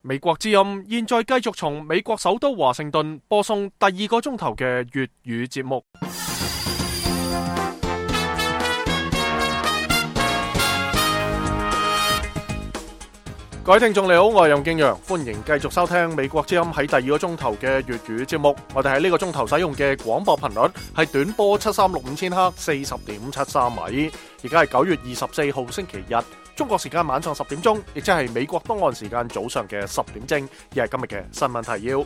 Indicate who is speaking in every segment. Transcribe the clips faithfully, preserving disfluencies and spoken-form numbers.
Speaker 1: 美國之音現在繼續從美國首都華盛頓播送第二個鐘頭嘅粵語節目。各位聽眾你好，我係任敬陽，歡迎繼續收聽美國之音喺第二個鐘頭嘅粵語節目。我哋喺呢個鐘頭使用嘅廣播頻率係短波七三六五千赫，四十點七三米。而家係九月二十四號星期日，中國時間晚上十點鐘，亦即係美國東岸時間早上嘅十點正。亦係今日嘅新聞提要。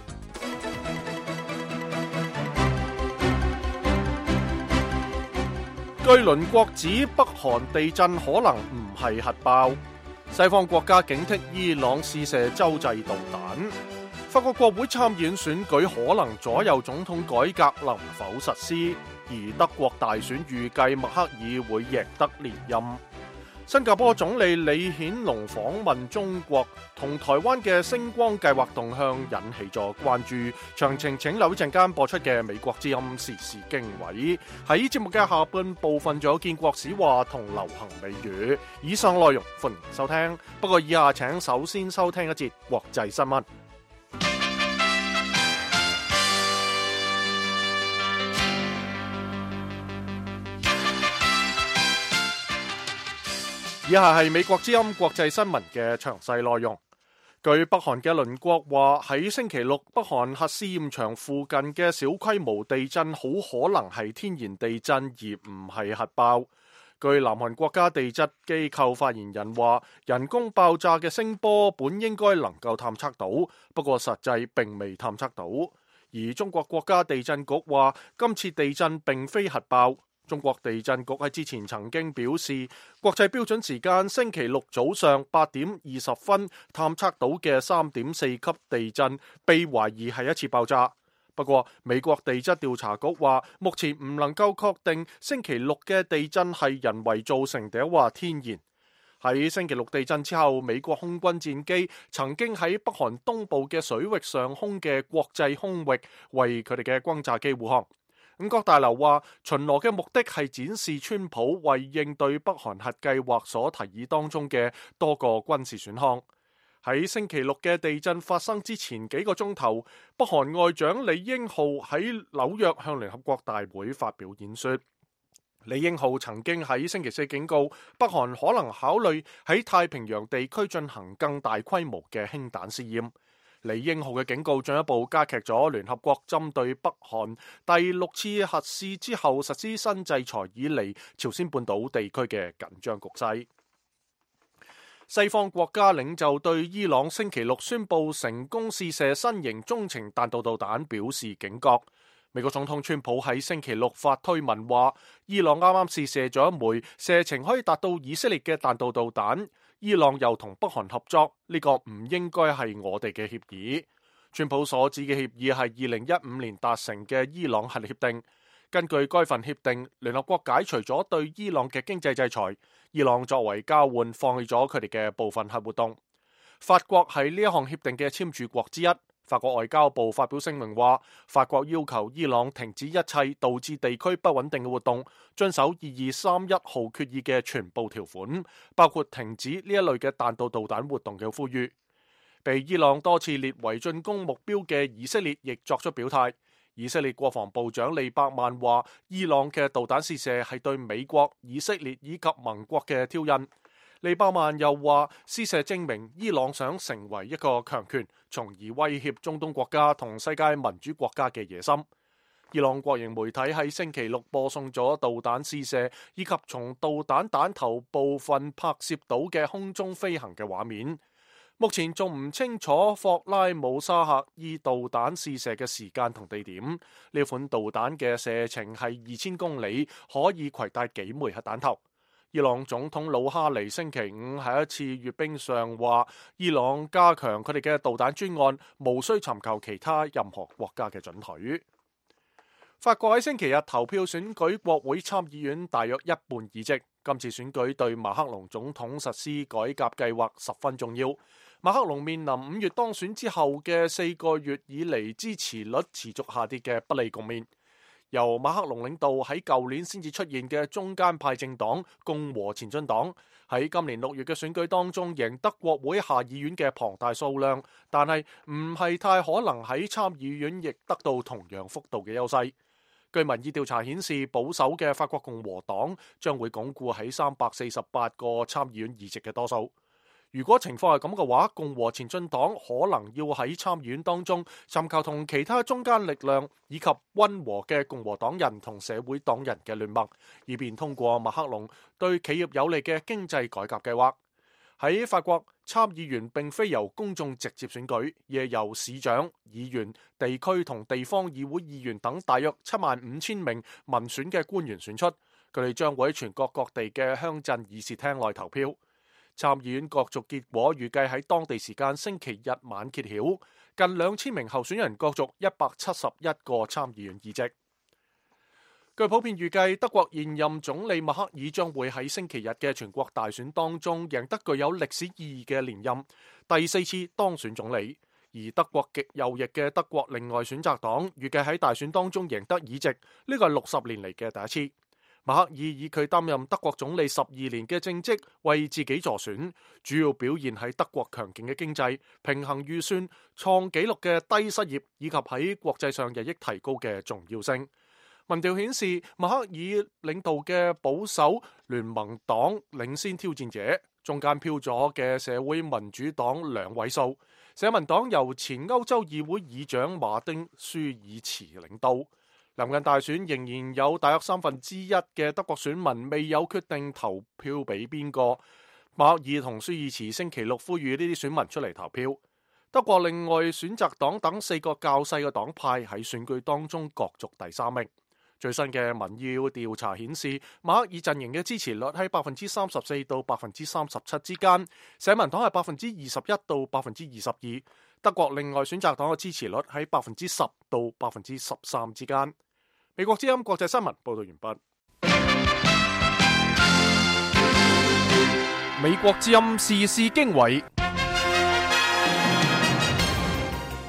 Speaker 1: 據鄰國指北韓地震可能唔係核爆。西方國家警惕伊朗試射洲際導彈。法國國會參議院選舉可能左右總統改革能否實施，而德國大選預計默克爾會贏得連任。新加坡總理李顯龍訪問中國，同台灣嘅星光計劃動向引起咗關注。詳情請留意陣間播出嘅美國之音時事經緯。喺節目嘅下半部分仲有建國史話同流行美語。以上內容歡迎收聽，不過以下請首先收聽一節國際新聞。以下係美國之音國際新聞嘅詳細內容。據北韓嘅鄰國話，喺星期六北韓核試驗場附近嘅小規模地震好可能係天然地震，而唔係核爆。據南韓國家地質機構發言人話，人工爆炸嘅聲波本應該能夠探測到，不過實際並未探測到。而中國國家地震局話，今次地震並非核爆。中國地震局喺之前曾經表示，國際標準時間星期六早上八點二十分探測到嘅三點四級地震被懷疑係一次爆炸。不過美國地質調查局話，目前唔能夠確定星期六嘅地震係人為造成定話天然。喺星期六地震之後，美國空軍戰機曾經喺北韓東部嘅水域上空嘅國際空域為佢哋嘅轟炸機護航。五角大樓話，巡邏嘅目的係展示川普為應對北韓核計劃所提議當中嘅多個軍事選項。喺星期六嘅地震發生之前幾個鐘頭，北韓外長李英浩喺紐約向聯合國大會發表演說。李英浩曾經喺星期四警告北韓可能考慮喺太平洋地區進行更大規模嘅氫彈試驗。李英浩嘅警告進一步加劇咗聯合國針對北韓第六次核試之後實施新制裁以嚟朝鮮半島地區嘅緊張局勢。西方國家領袖對伊朗星期六宣布成功試射新型中程彈道導彈表示警覺。美國總統川普喺星期六發推文話，伊朗啱啱試射咗一枚射程可以達到以色列嘅彈道導彈。伊朗又同北韓合作，呢個唔應該係我哋嘅協議。川普所指嘅協議係二零一五年達成嘅伊朗核協定。根據該份協定，聯合國解除咗對伊朗嘅經濟制裁，伊朗作為交換放棄咗佢哋嘅部分核活動。法國係呢一項協定嘅簽署國之一。法國外交部發表聲明話，法國要求伊朗停止一切導致地區不穩定嘅活動，遵守二二三一號決議嘅全部條款，包括停止呢一類嘅彈道導彈活動嘅呼籲。被伊朗多次列為進攻目標嘅以色列亦作出表態。以色列國防部長利伯曼話，伊朗嘅導彈試射係對美國、以色列以及盟國嘅挑釁。利伯曼又話，試射證明伊朗想成為一個強權，從而威脅中東國家同世界民主國家嘅野心。伊朗國營媒體喺星期六播送咗導彈試射以及從導彈彈頭部分拍攝到嘅空中飛行嘅畫面。目前仲唔清楚霍拉姆沙赫爾導彈試射嘅時間同地點。呢款導彈嘅射程係二千公里，可以攜帶幾枚核彈頭。伊朗總統魯哈尼星期五喺一次閱兵上話，伊朗加強佢哋嘅導彈專案，無需尋求其他任何國家嘅准許。法國喺星期日投票選舉國會參議院大約一半議席。今次選舉對馬克龍總統實施改革計劃十分重要。馬克龍面臨五月當選之後嘅四個月以嚟支持率持續下跌嘅不利局面。由馬克龍領導喺舊年先至出現嘅中間派政黨共和前進黨，喺今年六月嘅選舉當中贏得國會下議院嘅龐大數量，但係唔係太可能喺參議院亦得到同樣幅度嘅優勢。據民意調查顯示，保守嘅法國共和黨將會鞏固喺三百四十八個參議院議席嘅多數。如果情況係咁嘅話，共和前進黨可能要喺參議院當中尋求同其他中間力量以及溫和嘅共和黨人同社會黨人嘅聯盟，以便通過馬克龍對企業有利嘅經濟改革計劃。喺法國，參議員並非由公眾直接選舉，而係由市長、議員、地區同地方議會議員等大約七萬五千名民選嘅官員選出。佢哋將會喺全國各地嘅鄉鎮議事廳內投票。參議院角逐結果預計喺當地時間星期日晚揭曉，近兩千名候選人角逐一百七十一個參議院議席。據普遍預計，德國現任總理默克爾將會喺星期日嘅全國大選當中贏得具有歷史意義嘅連任，第四次當選總理。而德國極右翼嘅德國另外選擇黨預計喺大選當中贏得議席，呢個係六十年嚟嘅第一次。默克爾以佢擔任德國總理十二年嘅政績為自己助選，主要表現喺德國強勁嘅經濟、平衡預算、創紀錄嘅低失業以及喺國際上日益提高嘅重要性。民調顯示，默克爾領導嘅保守聯盟黨領先挑戰者，中間飄咗嘅社會民主黨兩位數，社民黨由前歐洲議會議長馬丁舒爾茨領導。臨近大選，仍然有大約三分之一嘅德國選民未有決定投票俾邊個。默克爾同舒爾茨星期六呼籲呢啲選民出嚟投票。德國另外選擇黨等四個較細嘅黨派喺選舉當中角逐第三名。最新嘅民意調查顯示，默克爾陣營嘅支持率喺百分之三十四到百分之三十七之間，社民黨係百分之二十一到百分之二十二。德國另外選擇黨嘅支持率喺百分之十到百分之十三之間。美國之音國際新聞報道完畢。美國之音時事經緯，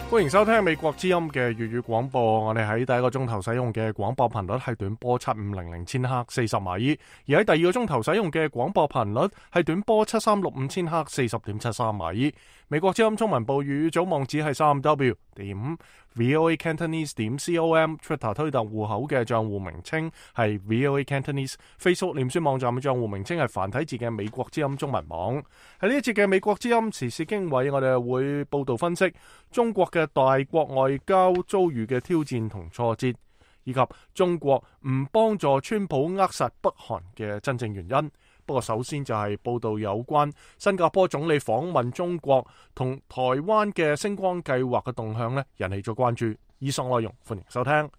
Speaker 1: 歡迎收聽美國之音嘅粵語廣播。我哋喺第一個鐘頭使用嘅廣播頻率係短波七五零零千赫四十米，而喺第二個鐘頭使用嘅廣播頻率係短波七三六五千赫四十點七三米。美國之音中文部粵語組網址係三 w 點 voa cantonese 點 com， Twitter 推特戶口嘅賬戶名稱係 voa cantonese， Facebook 臉書網站嘅賬戶名稱係繁體字嘅美國之音中文網。喺呢一節嘅美國之音時事經緯，我哋會報道分析中國嘅大國外交遭遇嘅挑戰同挫折，以及中國唔幫助川普扼殺北韓嘅真正原因。不過首先就係報道有關新加坡總理訪問中國同台灣嘅星光計劃嘅動向呢，引起咗關注。以上內容歡迎收聽。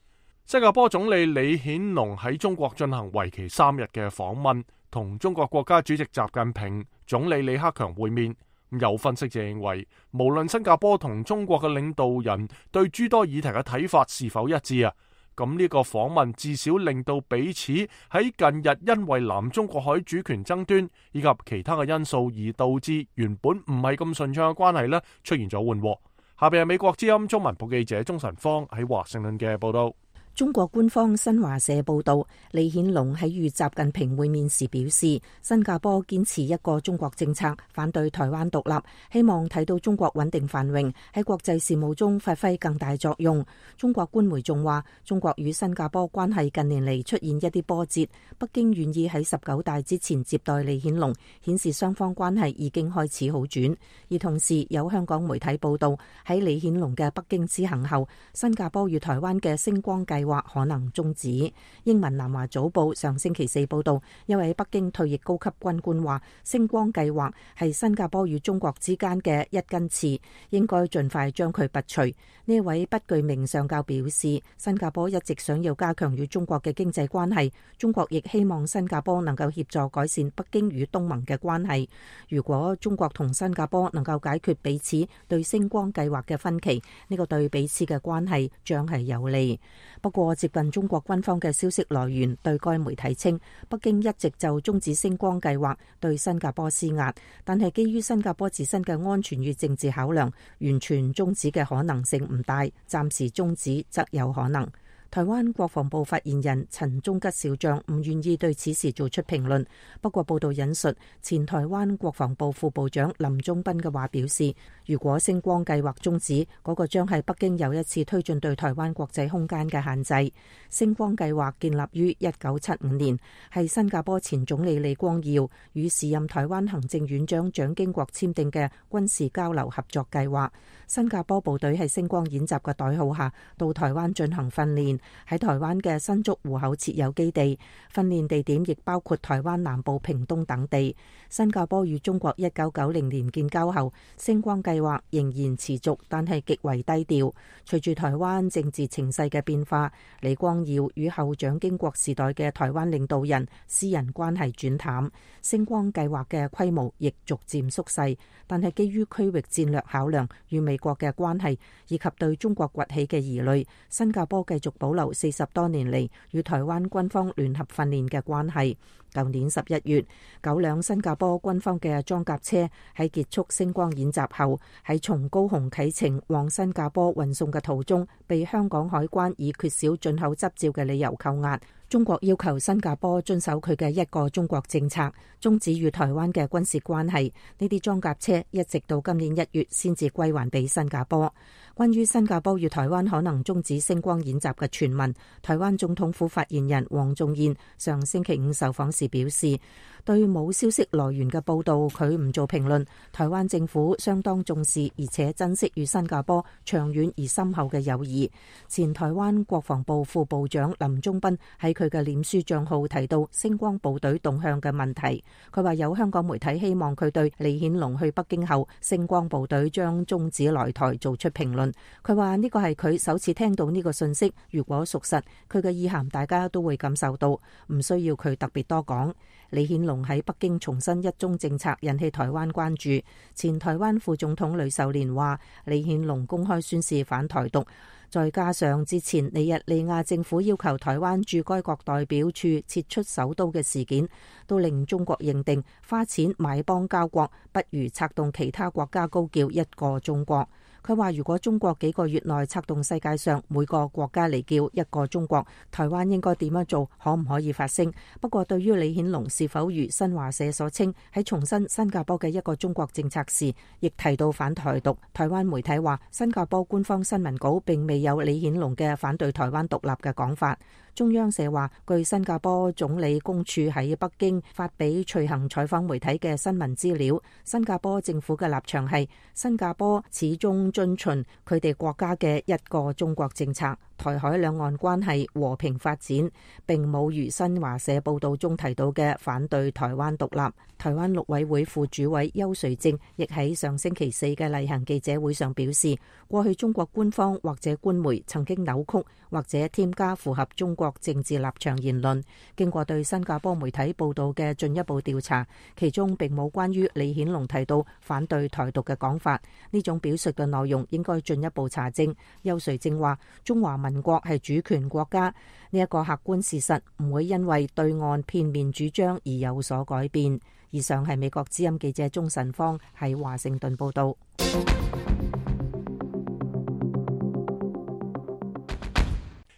Speaker 1: 新加坡總理李顯龍喺中國進行為期三日嘅訪問，同中國國家主席習近平、總理李克強會面。有分析就認為，無論新加坡同中國嘅領導人對諸多議題嘅睇法是否一致啊，咁呢個訪問至少令到彼此喺近日因為南中國海主權爭端以及其他嘅因素而導致原本唔係咁順暢嘅關係呢，出現咗緩和。下邊係美國之音中文部記者鍾晨芳喺華盛頓嘅報道。
Speaker 2: 中國官方新華社報道，李顯龍喺與習近平會面時表示，新加坡堅持一個中國政策，反對台灣獨立，希望睇到中國穩定繁榮，喺國際事務中發揮更大作用。中國官媒仲話，中國與新加坡關係近年嚟出現一啲波折，北京願意喺十九大之前接待李顯龍，顯示雙方關係已經開始好轉。而同時有香港媒體報道，喺李顯龍嘅北京之行後，新加坡與台灣嘅星光計劃或可能終止。英文南華早報上星期四報道，一位北京退役高級軍官話，星光計劃係新加坡與中國之間嘅一根刺，應該盡快將佢拔除。呢位不具名上校表示，新加坡一直想要加強與中國嘅經濟關係，中國亦希望新加坡能夠協助改善北京與東盟嘅關係。如果中國同新加坡能夠解決彼此對星光計劃嘅分歧，呢個對彼此嘅關係將係有利。不過接近中國軍方嘅消息來源對該媒體稱，北京一直就終止星光計劃對新加坡施壓，但係基於新加坡自身嘅安全與政治考量，完全終止嘅可能性唔大，暫時終止則有可能。台灣國防部發言人陳忠吉少將唔願意對此事做出評論。不過報道引述前台灣國防部副部長林忠斌嘅話表示，如果星光計劃終止，嗰、那個將係北京又一次推進對台灣國際空間嘅限制。星光計劃建立於一九七五年，係新加坡前總理李光耀與時任台灣行政院長蔣經國簽訂嘅軍事交流合作計劃。新加坡部隊喺星光演習嘅代號下到台灣進行訓練，喺台灣嘅新竹湖口設有基地，訓練地點亦包括台灣南部屏東等地。新加坡與中國一九九零年建交後，星光計劃仍然持續，但係極為低調。隨住台灣政治情勢嘅變化，李光耀與後蔣經國時代嘅台灣領導人私人關係轉淡，星光計劃嘅規模亦逐漸縮細。但係基於區域戰略考量與美國嘅關係以及對中國崛起嘅疑慮，新加坡繼續保留四十多年嚟與台灣軍方聯合訓練嘅關係。舊年十一月，九輛新加坡軍方嘅裝甲車喺結束星光演習後，喺從高雄啟程往新加坡運送嘅途中，被香港海關以缺少進口執照嘅理由扣押。中國要求新加坡遵守佢嘅一個中國政策，終止與台灣嘅軍事關係。呢啲裝甲車一直到今年一月先至歸還俾新加坡。關於新加坡與台灣可能終止星光演習嘅傳聞，台灣總統府發言人黃仲彥上星期五受訪時表示，對冇消息來源嘅報道，佢唔做評論。台灣政府相當重視而且珍惜與新加坡長遠而深厚嘅友誼。前台灣國防部副部長林忠斌喺佢嘅臉書賬號提到星光部隊動向嘅問題。佢話有香港媒體希望佢對李顯龍去北京後星光部隊將終止來台做出評論。佢話呢個係佢首次聽到呢個信息，如果屬實，佢嘅意涵大家都會感受到，唔需要佢特別多講。李顯龍喺北京重申一中政策引起台灣關注。前台灣副總統呂秀蓮話，李顯龍公開宣示反台獨，再加上之前尼日利亞政府要求台灣駐該國代表處撤出首都嘅事件，都令中國認定花錢買邦交國不如策動其他國家高叫一個中國。佢話如果中國幾個月內策動世界上每個國家嚟叫一個中國，台灣應該點樣做，可唔可以發聲？不過對於李顯龍是否如新華社所稱喺重申新加坡嘅一個中國政策時，亦提到反台獨，台灣媒體話新加坡官方新聞稿並未有李顯龍嘅反對台灣獨立嘅講法。中央社話，據新加坡總理公署喺北京發俾隨行採訪媒體嘅新聞資料，新加坡政府嘅立場係新加坡始終遵循佢哋國家嘅一個中國政策，台海兩岸關係和平發展，並冇如新華社報道中提到嘅反對台灣獨立。台灣陸委會副主委邱垂正亦喺上星期四嘅例行記者會上表示，過去中國官方或者官媒曾經扭曲或者添加符合中國政治立場言論。經過對新加坡媒體報道嘅進一步調查，其中並冇關於李顯龍提到反對台獨嘅講法。呢種表述嘅內容應該進一步查證。邱垂正話，中華民國係主權國家，呢一個客觀事實唔會因為對岸片面主張而有所改變。以上係美國之音記者鍾晨芳喺華盛頓報道。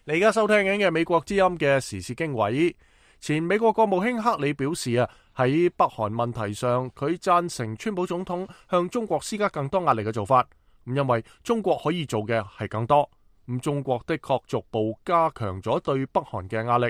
Speaker 1: 你而家收聽緊嘅美國之音嘅時事經緯。前美國國務卿克里表示啊，喺北韓問題上，佢贊成川普總統向中國施加更多壓力嘅做法。咁因為中國可以做嘅係更多。咁中國的確逐步加強咗對北韓嘅壓力。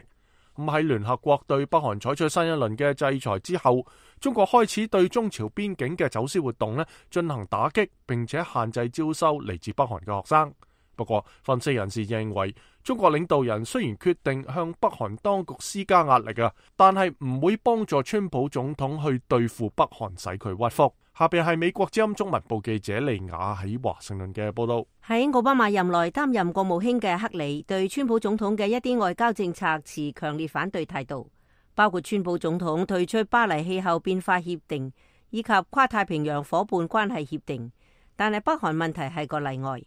Speaker 1: 咁喺聯合國對北韓採取新一輪嘅制裁之後，中國開始對中朝邊境嘅走私活動咧進行打擊，並且限制招收嚟自北韓嘅學生。不過，分析人士認為，中國領導人雖然決定向北韓當局施加壓力啊，但係唔會幫助川普總統去對付北韓，使佢屈服。下邊係美國之音中文部記者利雅喺華盛頓嘅報道。
Speaker 3: 喺奧巴馬任內擔任國務卿嘅克里對川普總統嘅一啲外交政策持強烈反對態度，包括川普總統退出巴黎氣候變化協定以及跨太平洋夥伴關係協定。但係北韓問題係個例外。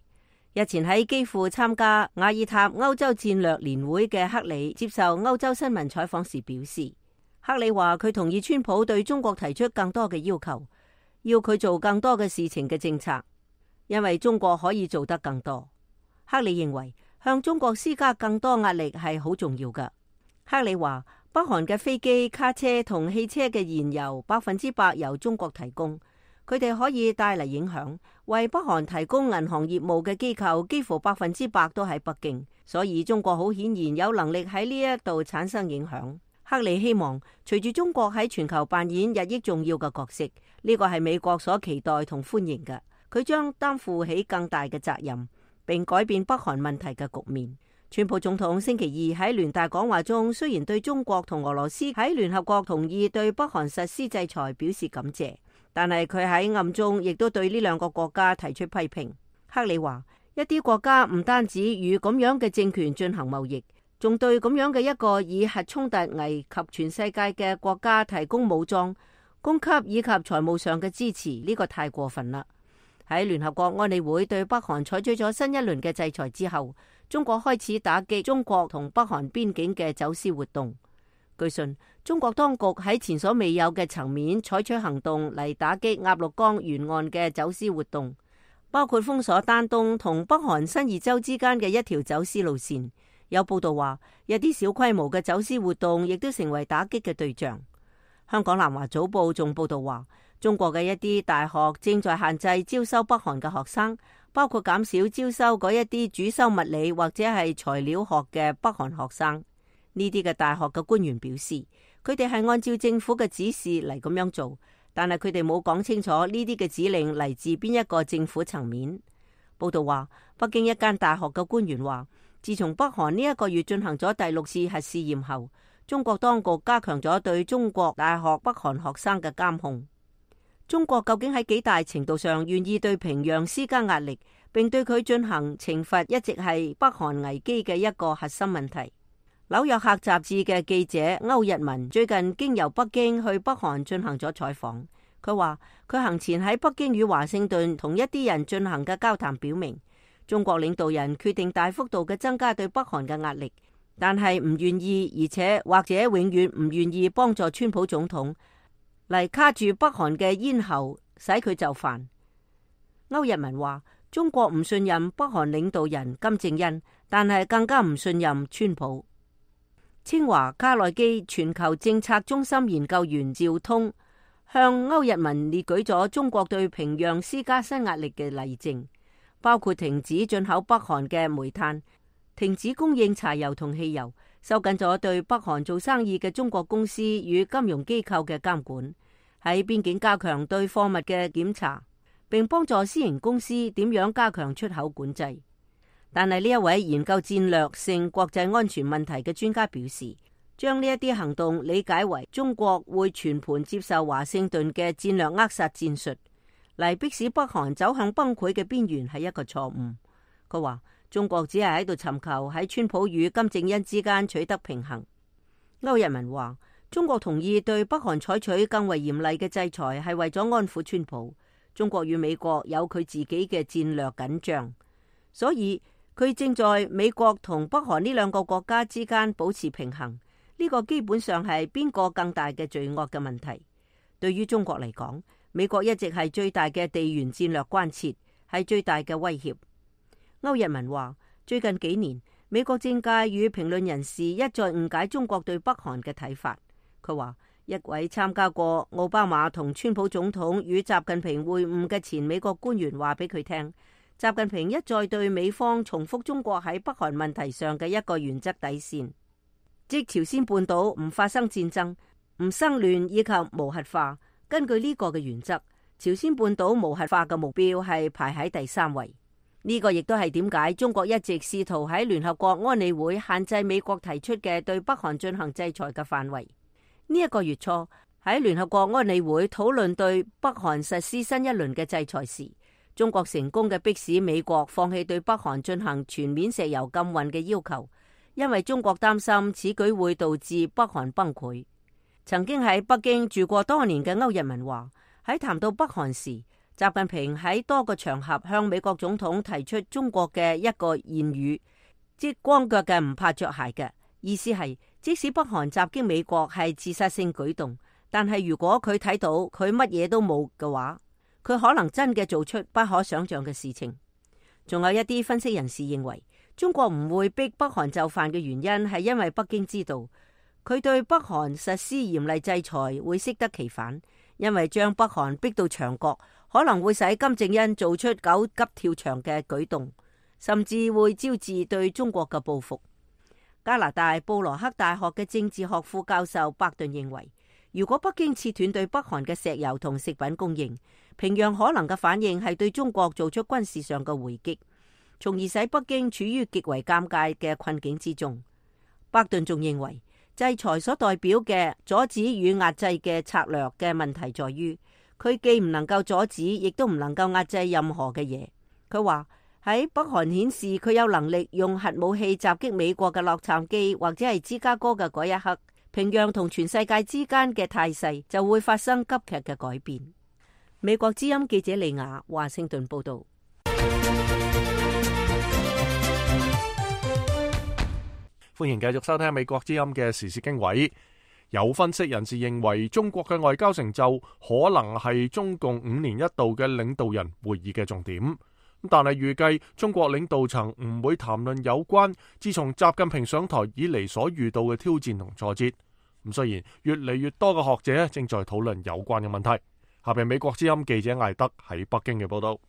Speaker 3: 日前喺基輔參加雅爾塔歐洲戰略年會嘅克里接受歐洲新聞採訪時表示，克里話佢同意川普對中國提出更多嘅要求，要佢做更多嘅事情嘅政策，因為中國可以做得更多。克里認為向中國施加更多壓力係好重要㗎。克里話，北韓嘅飛機、卡車同汽車嘅燃油百分之百由中國提供，佢哋可以帶嚟影響。為北韓提供銀行業務嘅機構幾乎百分之百都喺北京，所以中國好顯然有能力喺呢一度產生影響。克里希望隨住中國喺全球扮演日益重要嘅角色，呢個係美國所期待同歡迎嘅。佢將擔負起更大嘅責任，並改變北韓問題嘅局面。川普總統星期二喺聯大講話中，雖然對中國同俄羅斯喺聯合國同意對北韓實施制裁表示感謝，但係佢喺暗中亦都對呢兩個國家提出批評。克里話，一啲國家唔單止與咁樣嘅政權進行貿易，仲對咁樣嘅一個以核衝突危及全世界嘅國家提供武裝、供給以及財務上嘅支持，呢個太過分啦。喺聯合國安理會對北韓採取咗新一輪嘅制裁之後，中國開始打擊中國同北韓邊境嘅走私活動。據信，中國當局喺前所未有嘅層面採取行動嚟打擊鴨綠江沿岸嘅走私活動，包括封鎖丹東同北韓新義州之間嘅一條走私路線。有報道話，一啲小規模嘅走私活動亦都成為打擊嘅對象。香港南華早報仲報道話，中國嘅一啲大學正在限制招收北韓嘅學生，包括減少招收嗰一啲主修物理或者係材料學嘅北韓學生。呢啲嘅大學嘅官員表示，佢哋係按照政府嘅指示嚟咁樣做，但係佢哋冇講清楚呢啲嘅指令嚟自邊一個政府層面。報道話，北京一間大學嘅官員話，自從北韓呢一個月進行咗第六次核試驗後，中國當局加強咗對中國大學北韓學生嘅監控。中國究竟喺幾大程度上願意對平壤施加壓力，並對佢進行懲罰，一直係北韓危機嘅一個核心問題。紐約客雜誌嘅記者歐日文最近經由北京去北韓進行咗採訪，佢話佢行前喺北京與華盛頓同一啲人進行嘅交談表明，中國領導人決定大幅度嘅增加對北韓嘅壓力，但係唔願意，而且或者永遠唔願意幫助川普總統嚟卡住北韓嘅咽喉，使佢就範。歐日文話，中國唔信任北韓領導人金正恩，但係更加唔信任川普。清華卡內基全球政策中心研究員趙通向歐日文列舉咗中國對平壤施加新壓力嘅例證，包括停止進口北韓嘅煤炭、停止供應柴油同汽油、收緊咗對北韓做生意嘅中國公司與金融機構嘅監管，喺邊境加強對貨物嘅檢查，並幫助私營公司點樣加強出口管制。但係呢一位研究戰略性國際安全問題嘅專家表示，將呢一啲行動理解為中國會全盤接受華盛頓嘅戰略扼殺戰術，嚟迫使北韓走向崩潰嘅邊緣係一個錯誤。佢話中國只係喺度尋求喺川普與金正恩之間取得平衡。歐日文話，中國同意對北韓採取更為嚴厲嘅制裁，係為咗安撫川普。中國與美國有佢自己嘅戰略緊張，所以佢正在美國同北韓呢兩個國家之間保持平衡。呢個基本上係邊個更大嘅罪惡嘅問題。對於中國嚟講，美國一直係最大嘅地緣戰略關切，係最大嘅威脅。歐日文話，最近幾年，美國政界與評論人士一再誤解中國對北韓嘅睇法。佢話，一位參加過奧巴馬同川普總統與習近平會晤嘅前美國官員話俾佢聽，習近平一再對美方重複中國喺北韓問題上嘅一個原則底線，即朝鮮半島唔發生戰爭、唔生亂以及無核化。根據呢個嘅原則，朝鮮半島無核化嘅目標係排喺第三位。呢個亦都係點解中國一直試圖喺聯合國安理會限制美國提出嘅對北韓進行制裁嘅範圍。呢一個月初喺聯合國安理會討論對北韓實施新一輪嘅制裁時，中國成功嘅迫使美國放棄對北韓進行全面石油禁運嘅要求，因為中國擔心此舉會導致北韓崩潰。曾經喺北京住過多年嘅歐日文話，喺談到北韓時，習近平喺多個場合向美國總統提出中國嘅一個諺語，即光腳嘅唔怕着鞋嘅意思係，即使北韓襲擊美國係自殺性舉動，但係如果佢睇到佢乜嘢都冇嘅話，佢可能真嘅做出不可想象嘅事情。仲有一啲分析人士認為，中國唔會逼北韓就範嘅原因係因為北京知道佢對北韓實施嚴厲制裁會適得其反，因為將北韓逼到牆角可能會使金正恩做出狗急跳牆嘅舉動，甚至會招致對中國嘅報復。加拿大布羅克大學嘅政治學副教授伯頓認為，如果北京切斷對北韓嘅石油同食品供應，平壤可能嘅反應係對中國做出軍事上嘅回擊，從而使北京處於極為尷尬嘅困境之中。伯頓仲認為，制裁所代表嘅阻止與壓制嘅策略嘅問題在於，佢既唔能夠阻止，亦都唔能夠壓制任何嘅嘢。佢話喺北韓顯示佢有能力用核武器襲擊美國嘅洛杉磯或者係芝加哥嘅嗰一刻，平壤同全世界之間嘅態勢就會發生急劇嘅改變。美國之音記者利亞華盛頓報道。
Speaker 1: 歡迎繼續收聽美國之音嘅時事經緯。有分析人士認為，中國嘅外交成就可能係中共五年一度嘅領導人會議嘅重點，但係預計中國領導層唔會談論有關自從習近平上台以嚟所遇到嘅挑戰同挫折。咁雖然越嚟越多嘅學者正在討論有關嘅問題。下邊美國之音記者艾德喺北京嘅報道。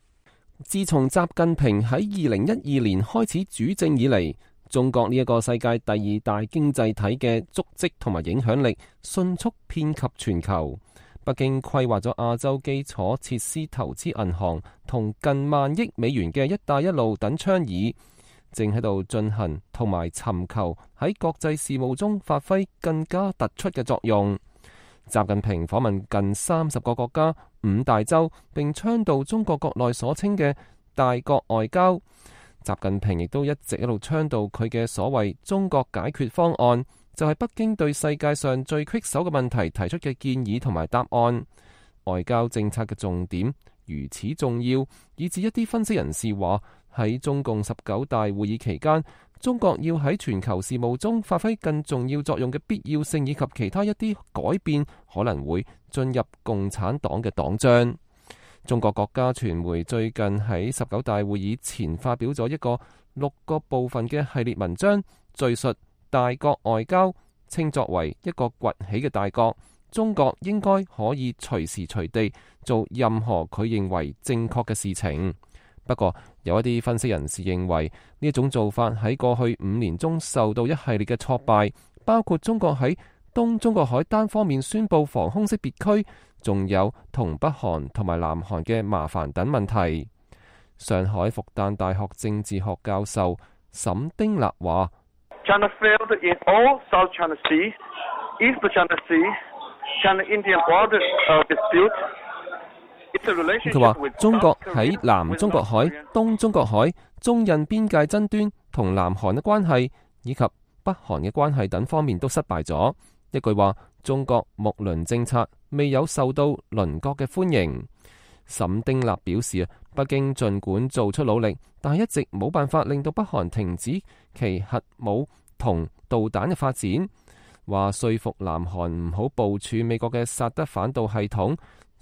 Speaker 4: 自從習近平喺二零一二年開始主政以嚟，中國呢一個世界第二大經濟體嘅足跡同埋影響力迅速遍及全球。北京規劃咗亞洲基礎設施投資銀行同近萬億美元嘅一帶一路等倡議，正喺度進行同埋尋求喺國際事務中發揮更加突出嘅作用。習近平訪問近三十個國家、五大洲，並倡導中國國內所稱嘅大國外交。習近平亦都一直一路倡導佢嘅所謂中國解決方案，就係北京對世界上最棘手嘅問題提出嘅建議同埋答案。外交政策嘅重點如此重要，以至一啲分析人士話，喺中共十九大會議期間，中國要喺全球事務中發揮更重要作用嘅必要性，以及其他一啲改變可能會進入共產黨嘅黨章。中國國家傳媒最近喺十九大會議前發表咗一個六個部分嘅系列文章，敘述大國外交，稱作為一個崛起嘅大國，中國應該可以隨時隨地做任何佢認為正確嘅事情。不過有一啲分析人士認為，呢一種做法喺過去五年中受到一系列嘅挫敗，包括中國喺東中國海單方面宣布防空識別區，仲有同北韓同埋南韓嘅麻煩等問題。上海復旦大學政治學教授沈丁立話：China failed in all South China Sea, East China Sea, China-Indian border dispute。佢話中國喺南中國海、東中國海、中印邊界爭端同南韓嘅關係以及北韓嘅關係等方面都失敗咗。一句話，中國睦鄰政策未有受到鄰國嘅歡迎。沈丁立表示啊，北京盡管做出努力，但係一直冇辦法令到北韓停止其核武同導彈嘅發展。話說服南韓唔好部署美國嘅薩德反導系統。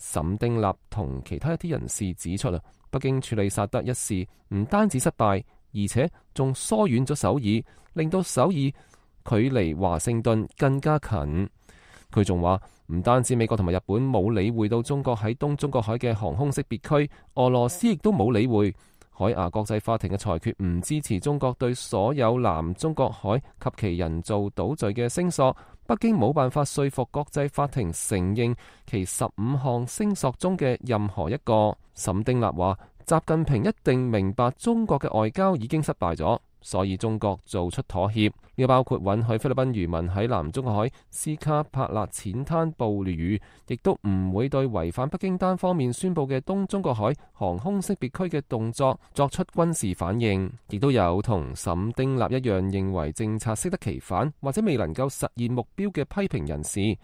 Speaker 4: 沈丁立同其他一啲人士指出啊，北京處理薩德一事唔單止失敗，而且仲疏遠咗首爾，令到首爾距離華盛頓更加近。佢仲話唔單止美國同埋日本冇理會到中國喺東中國海嘅航空識別區，俄羅斯亦都冇理會。海牙國際法庭嘅裁決唔支持中國對所有南中國海及其人造島嶼嘅聲索。北京冇辦法說服國際法庭承認其十五項聲索中嘅任何一個。沈丁立話：習近平一定明白中國嘅外交已經失敗咗，所以中國做出妥協，呢個包括允許菲律賓漁民喺南中國海斯卡帕勒淺灘捕魚，亦都唔會對違反北京單方面宣布嘅東中國海航空識別區嘅動作作出軍事反應。亦都有同沈丁立一樣認為政策適得其反或者未能夠實現目標嘅批評人士。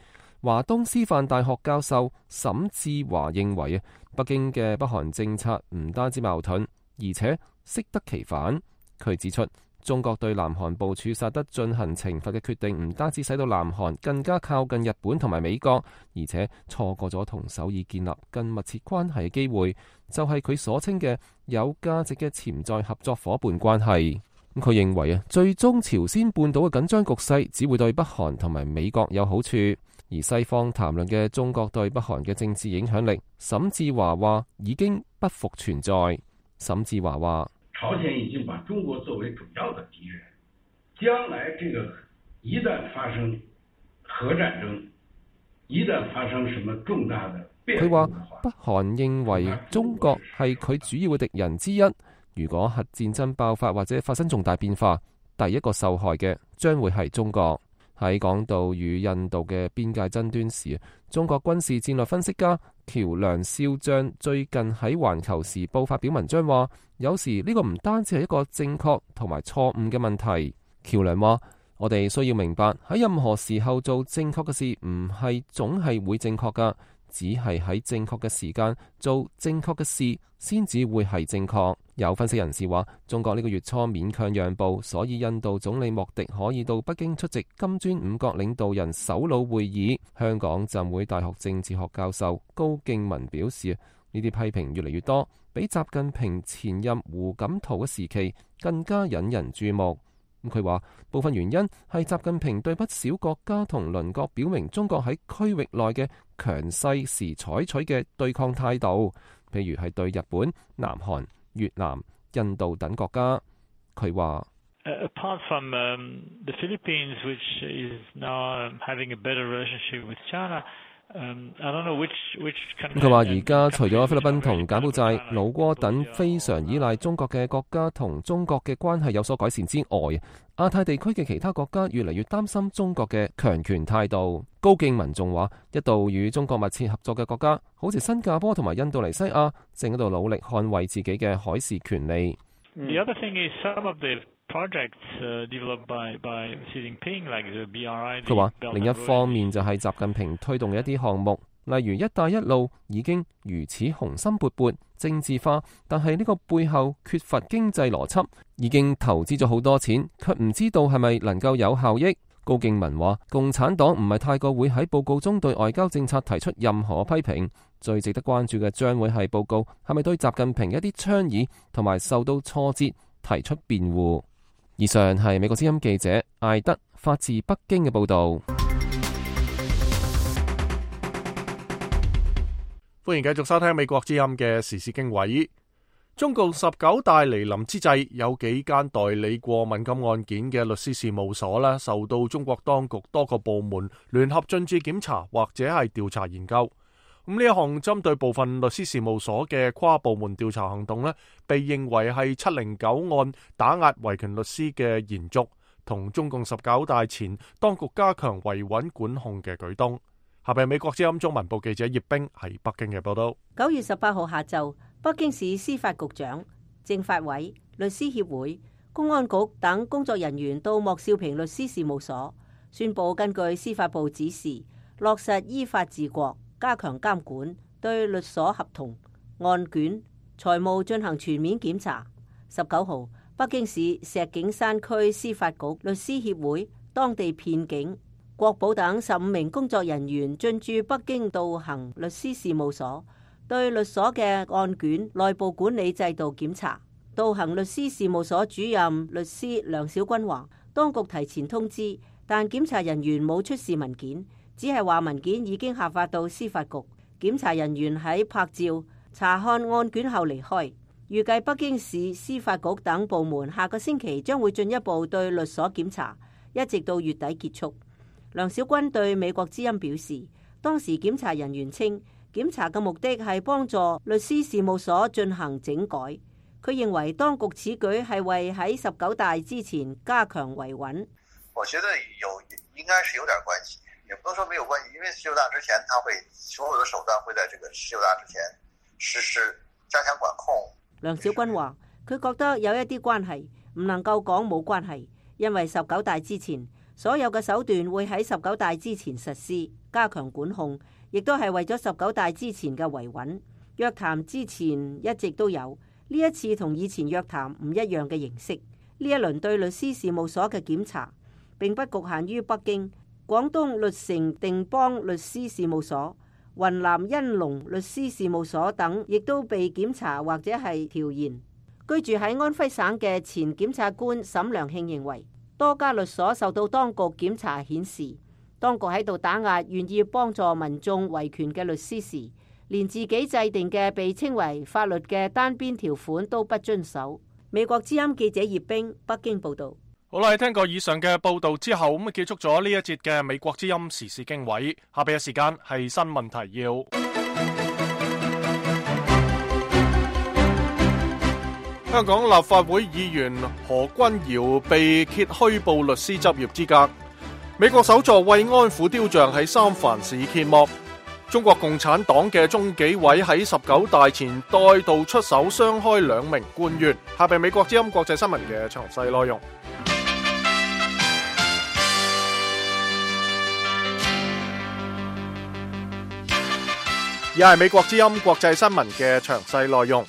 Speaker 4: 華東師範大學教授沈志華認為啊，北京嘅北韓政策唔單止矛盾，而且適得其反。佢指出，中國對南韓部署薩德進行懲罰嘅決定，唔單止使到南韓更加靠近日本同埋美國，而且錯過咗同首爾建立更密切關係嘅機會，就係佢所稱嘅有價值嘅潛在合作夥伴關係。佢認為啊，最終朝鮮半島嘅緊張局勢只會對北韓同埋美國有好處，而西方談論嘅中國對北韓嘅政治影響力，沈志華話已經不復存在。沈志華話：
Speaker 5: 朝鮮已經把中國作為主要的敵人，將來這個一旦發生核戰爭，一旦發生什麼重大的變故，
Speaker 4: 佢話北韓認為中國係佢主要嘅敵人之一。如果核戰爭爆發或者發生重大變化，第一個受害嘅將會係中國。喺講到與印度嘅邊界爭端時，中國軍事戰略分析家喬梁少將最近喺《環球時報》發表文章話，有時呢個唔單止係一個正確同埋錯誤嘅問題。喬梁話：我哋需要明白喺任何時候做正確嘅事，唔係總係會正確噶，只係喺正確嘅時間做正確嘅事，先至會係正確。有分析人士話，中國呢個月初勉強讓步，所以印度總理莫迪可以到北京出席金磚五國領導人首腦會議。香港浸會大學政治學教授高敬文表示，呢啲批評越嚟越多，比習近平前任胡錦濤嘅時期更加引人注目。佢話部分原因係習近平對不少國家同鄰國表明中國喺區域內嘅強勢時採取嘅對抗態度，譬如係對日本、南韓、越南、印度等國家。佢話
Speaker 6: ：Apart from the Philippines, which is now having a better relationship with China.
Speaker 4: 佢話而家除咗菲律賓同柬埔寨、老撾等非常依賴中國嘅國家同中國嘅關係有所改善之外，亞太地區嘅其他國家越嚟越擔心中國嘅強權態度。高敬文仲話，一度與中國密切合作嘅國家，好似新加坡同埋印度尼西亞，正喺度努力捍衛自己嘅海事權利。
Speaker 6: The other thing is some of the projects developed by by Xi Jinping, like the B R I。
Speaker 4: 佢話另一方面就係習近平推動嘅一啲項目，例如一帶一路已經如此雄心勃勃、政治化，但係呢個背後缺乏經濟邏輯，已經投資咗好多錢，卻唔知道係咪能夠有效益。高敬文話，共產黨唔係太過會喺報告中對外交政策提出任何批評，最值得關注嘅將會係報告係咪對習近平一啲倡議同埋受到挫折提出辯護。以上係美國之音記者艾德發自北京嘅報道。
Speaker 1: 歡迎繼續收聽美國之音嘅時事經緯。中共十九大嚟臨之際，有幾間代理過敏感案件嘅律師事務所咧，受到中國當局多個部門聯合進駐檢查或者係調查研究。咁呢一項針對部分律師事務所嘅跨部門調查行動咧，被認為係七零九案打壓維權律師嘅延續，同中共十九大前當局加強維穩管控嘅舉動。下邊美國之音中文部記者葉冰喺北京嘅報道。
Speaker 3: 九月十八號下晝，北京市司法局長、政法委、律師協會、公安局等工作人員到莫少平律師事務所，宣布根據司法部指示，落實依法治國，加強監管，對律所合同、案卷、財務進行全面檢查。十九號，北京市石景山區司法局律師協會、當地片警、國保等十五名工作人員進駐北京道行律師事務所，對律所嘅案卷內部管理制度檢查。道行律師事務所主任律師梁小軍話，當局提前通知，但檢查人員冇出示文件，只係話文件已經下發到司法局。檢查人員喺拍照、查看案卷後離開。預計北京市司法局等部門下個星期將會進一步對律所檢查，一直到月底結束。梁小軍對美國之音表示，當時檢查人員稱，檢查嘅目的係幫助律師事務所進行整改。佢認為當局此舉係為喺十九大之前加強維穩。
Speaker 7: 我覺得有應該是有點關係，也不能說沒有關係，因為十九大之前，他會所有的手段會在這個十九大之前實施加強管控。
Speaker 3: 梁小軍話，佢覺得有一啲關係，唔能夠講冇關係，因為十九大之前，所有嘅手段會喺十九大之前實施，加強管控，亦都係為咗十九大之前嘅維穩。約談之前一直都有，呢一次同以前約談唔一樣嘅形式。呢一輪對律師事務所嘅檢查並不局限於北京，廣東律城定邦律師事務所、雲南恩隆律師事務所等亦都被檢查或者係調研。居住喺安徽省嘅前檢察官沈良慶認為，多家律所受到當局檢查顯示，當局喺度打壓願意幫助民眾維權嘅律師時，連自己制定嘅被稱為法律嘅單邊條款都不遵守。美國之音記者葉冰北京報道。
Speaker 1: 好啦，聽過以上嘅報道之後，咁啊結束咗呢一節嘅美國之音時事經緯。下邊嘅時間係新聞提要。香港立法會議員何君堯被揭虛報律師執業資格。美國首座慰安婦雕像喺三藩市揭幕。中國共產黨嘅中紀委喺十九大前再度出手雙開兩名官員。下邊美國之音國際新聞嘅詳細內容。而係美國之音國際新聞嘅詳細內容。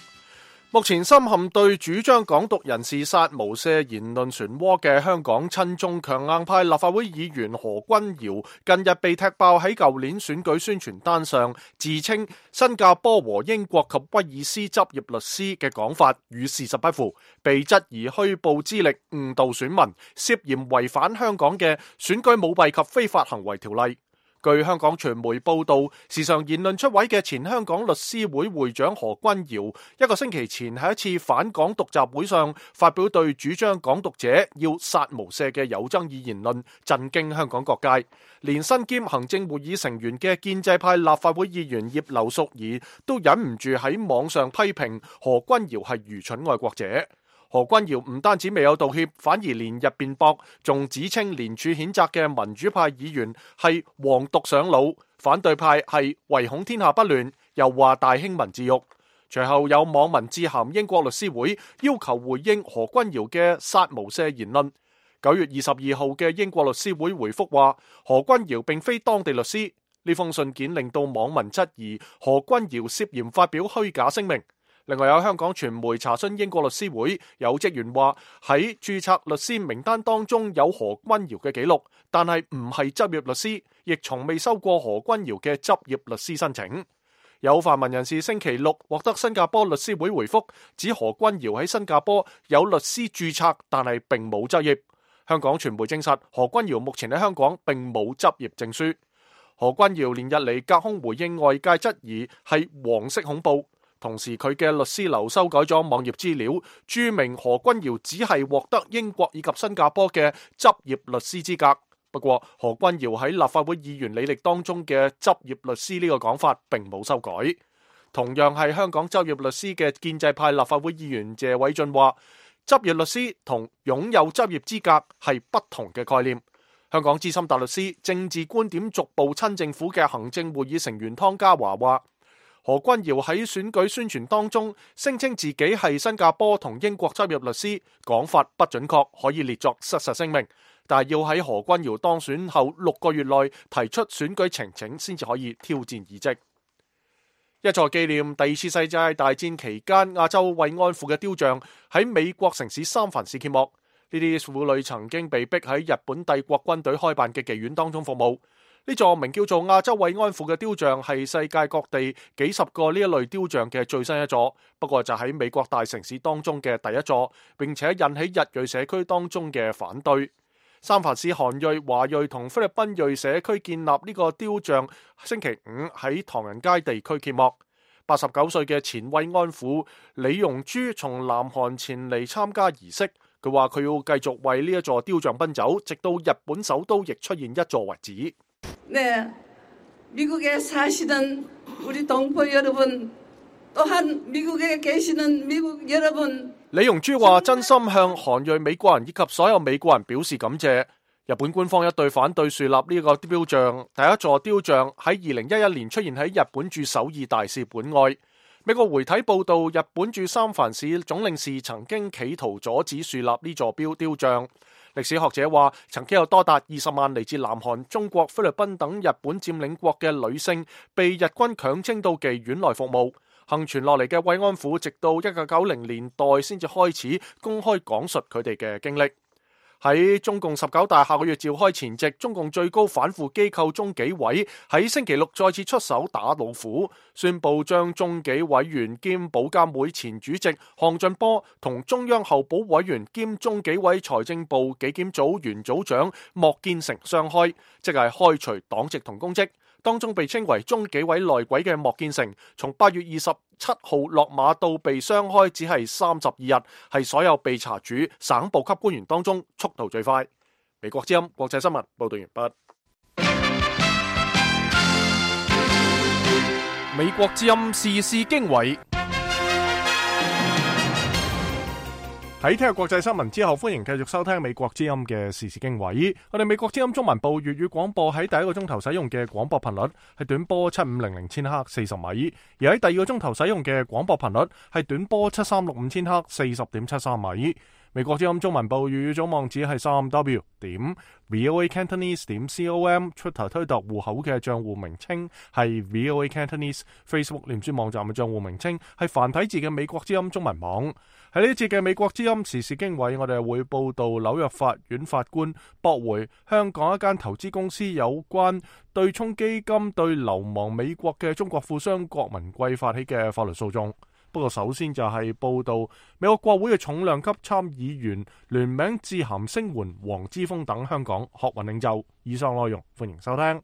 Speaker 1: 目前深陷對主張港獨人士殺無赦言論漩渦嘅香港親中強硬派立法會議員何君堯，近日被踢爆喺舊年選舉宣傳單上自稱新加坡和英國及威爾斯執業律師嘅講法與事實不符，被質疑虛報資歷誤導選民，涉嫌違反香港嘅選舉舞弊及非法行為條例。據香港傳媒報道，時常言論出位嘅前香港律師會會長何君堯，一個星期前喺一次反港獨集會上發表對主張港獨者要殺無赦嘅有爭議言論，震驚香港各界。連身兼行政會議成員嘅建制派立法會議員葉劉淑儀都忍唔住喺網上批評何君堯係愚蠢愛國者。何君堯唔單止未有道歉，反而連日辯駁，仲指稱連署譴責嘅民主派議員係黃獨上腦，反對派係唯恐天下不亂，又話大興文字獄。隨後有網民致函英國律師會，要求回應何君堯嘅殺無赦言論。九月二十二號嘅英國律師會回覆話，何君堯並非當地律師。呢封信件令到網民質疑何君堯涉嫌發表虛假聲明。另外有香港傳媒查詢英國律師會，有職員話喺註冊律師名單當中有何君堯嘅記錄，但係唔係執業律師，亦從未收過何君堯嘅執業律師申請。有泛民人士星期六獲得新加坡律師會回覆，指何君堯喺新加坡有律師註冊，但係並冇執業。香港傳媒證實何君堯目前喺香港並冇執業證書。何君堯連日嚟隔空回應外界質疑係黃色恐怖。同時佢嘅律師樓修改咗網頁資料，註明何君堯只係獲得英國以及新加坡嘅執業律師資格。不過何君堯喺立法會議員履歷當中嘅執業律師呢個講法並冇修改。同樣係香港執業律師嘅建制派立法會議員謝偉俊話，執業律師同擁有執業資格係不同嘅概念。香港資深大律師、政治觀點逐步親政府嘅行政會議成員湯家驊話，何君堯喺選舉宣傳當中聲稱自己係新加坡同英國執業律師，講法不準確，可以列作失實聲明。但係要喺何君堯當選後六個月內提出選舉呈請，先至可以挑戰議職。一座紀念第二次世界大戰期間亞洲慰安婦嘅雕像喺美國城市三藩市揭幕。呢啲婦女曾經被逼喺日本帝國軍隊開辦嘅妓院當中服務。呢座名叫做亞洲慰安婦嘅雕像係世界各地幾十個呢一類雕像嘅最新一座，不過就喺美國大城市當中嘅第一座，並且引起日裔社區當中嘅反對。三藩市韓裔、華裔同菲律賓裔社區建立呢個雕像，星期五喺唐人街地區揭幕。八十九歲嘅前慰安婦李容珠從南韓前嚟參加儀式，佢話佢要繼續為呢一座雕像奔走，直到日本首都亦出現一座為止。
Speaker 8: 네, 미국에 사시는 우리 동포 여러분, 또한 미국에 계시는 미국 여러분。
Speaker 1: 李容珠話：真心向韓裔美國人以及所有美國人表示感謝。日本官方一對反對樹立呢個雕像，第一座雕像喺二零一一年出現喺日本駐首爾大使館外。美國媒體報道，日本駐三藩市總領事曾經企圖阻止樹立呢座標雕像。歷史學者話，曾經有多達二十萬嚟自南韓、中國、菲律賓等日本佔領國嘅女性被日軍強徵到妓院內服務。幸存落嚟嘅慰安婦，直到一九九零年代先至開始公開講述佢哋嘅經歷。喺中共十九大下個月召開前夕，中共最高反腐機構中紀委喺星期六再次出手打老虎，宣布將中紀委員兼保監會前主席項俊波同中央候補委員兼中紀委財政部紀檢組原組長莫建成雙開，即係開除黨籍同公職。當中被稱為中紀委內鬼嘅莫建成，從八月二十七號落馬到被雙開只係三十二日，係所有被查處省部級官員當中速度最快。美國之音國際新聞報道完畢。美國之音時事經緯。喺聽日國際新聞之後，歡迎繼續收聽美國之音嘅時事經緯。我哋美國之音中文部粵語廣播喺第一個鐘頭使用嘅廣播頻率係短波七五零零千赫四十米，而喺第二個鐘頭使用嘅廣播頻率係短波七三六五千赫四十點七三米。美國之音中文部粵語總網址係三 w 點 voa cantonese 點 com，Twitter 推特戶口嘅賬戶名稱係 voa cantonese，Facebook 臉書網站嘅賬戶名稱係繁體字嘅美國之音中文網。喺呢一節嘅美國之音時事經緯，我哋會報道紐約法院法官駁回香港一間投資公司有關對沖基金對流亡美國嘅中國富商郭文貴發起嘅法律訴訟。不過首先就係報道美國國會嘅重量級參議員聯名致函聲援黃之鋒等香港學運領袖。以上內容歡迎收聽。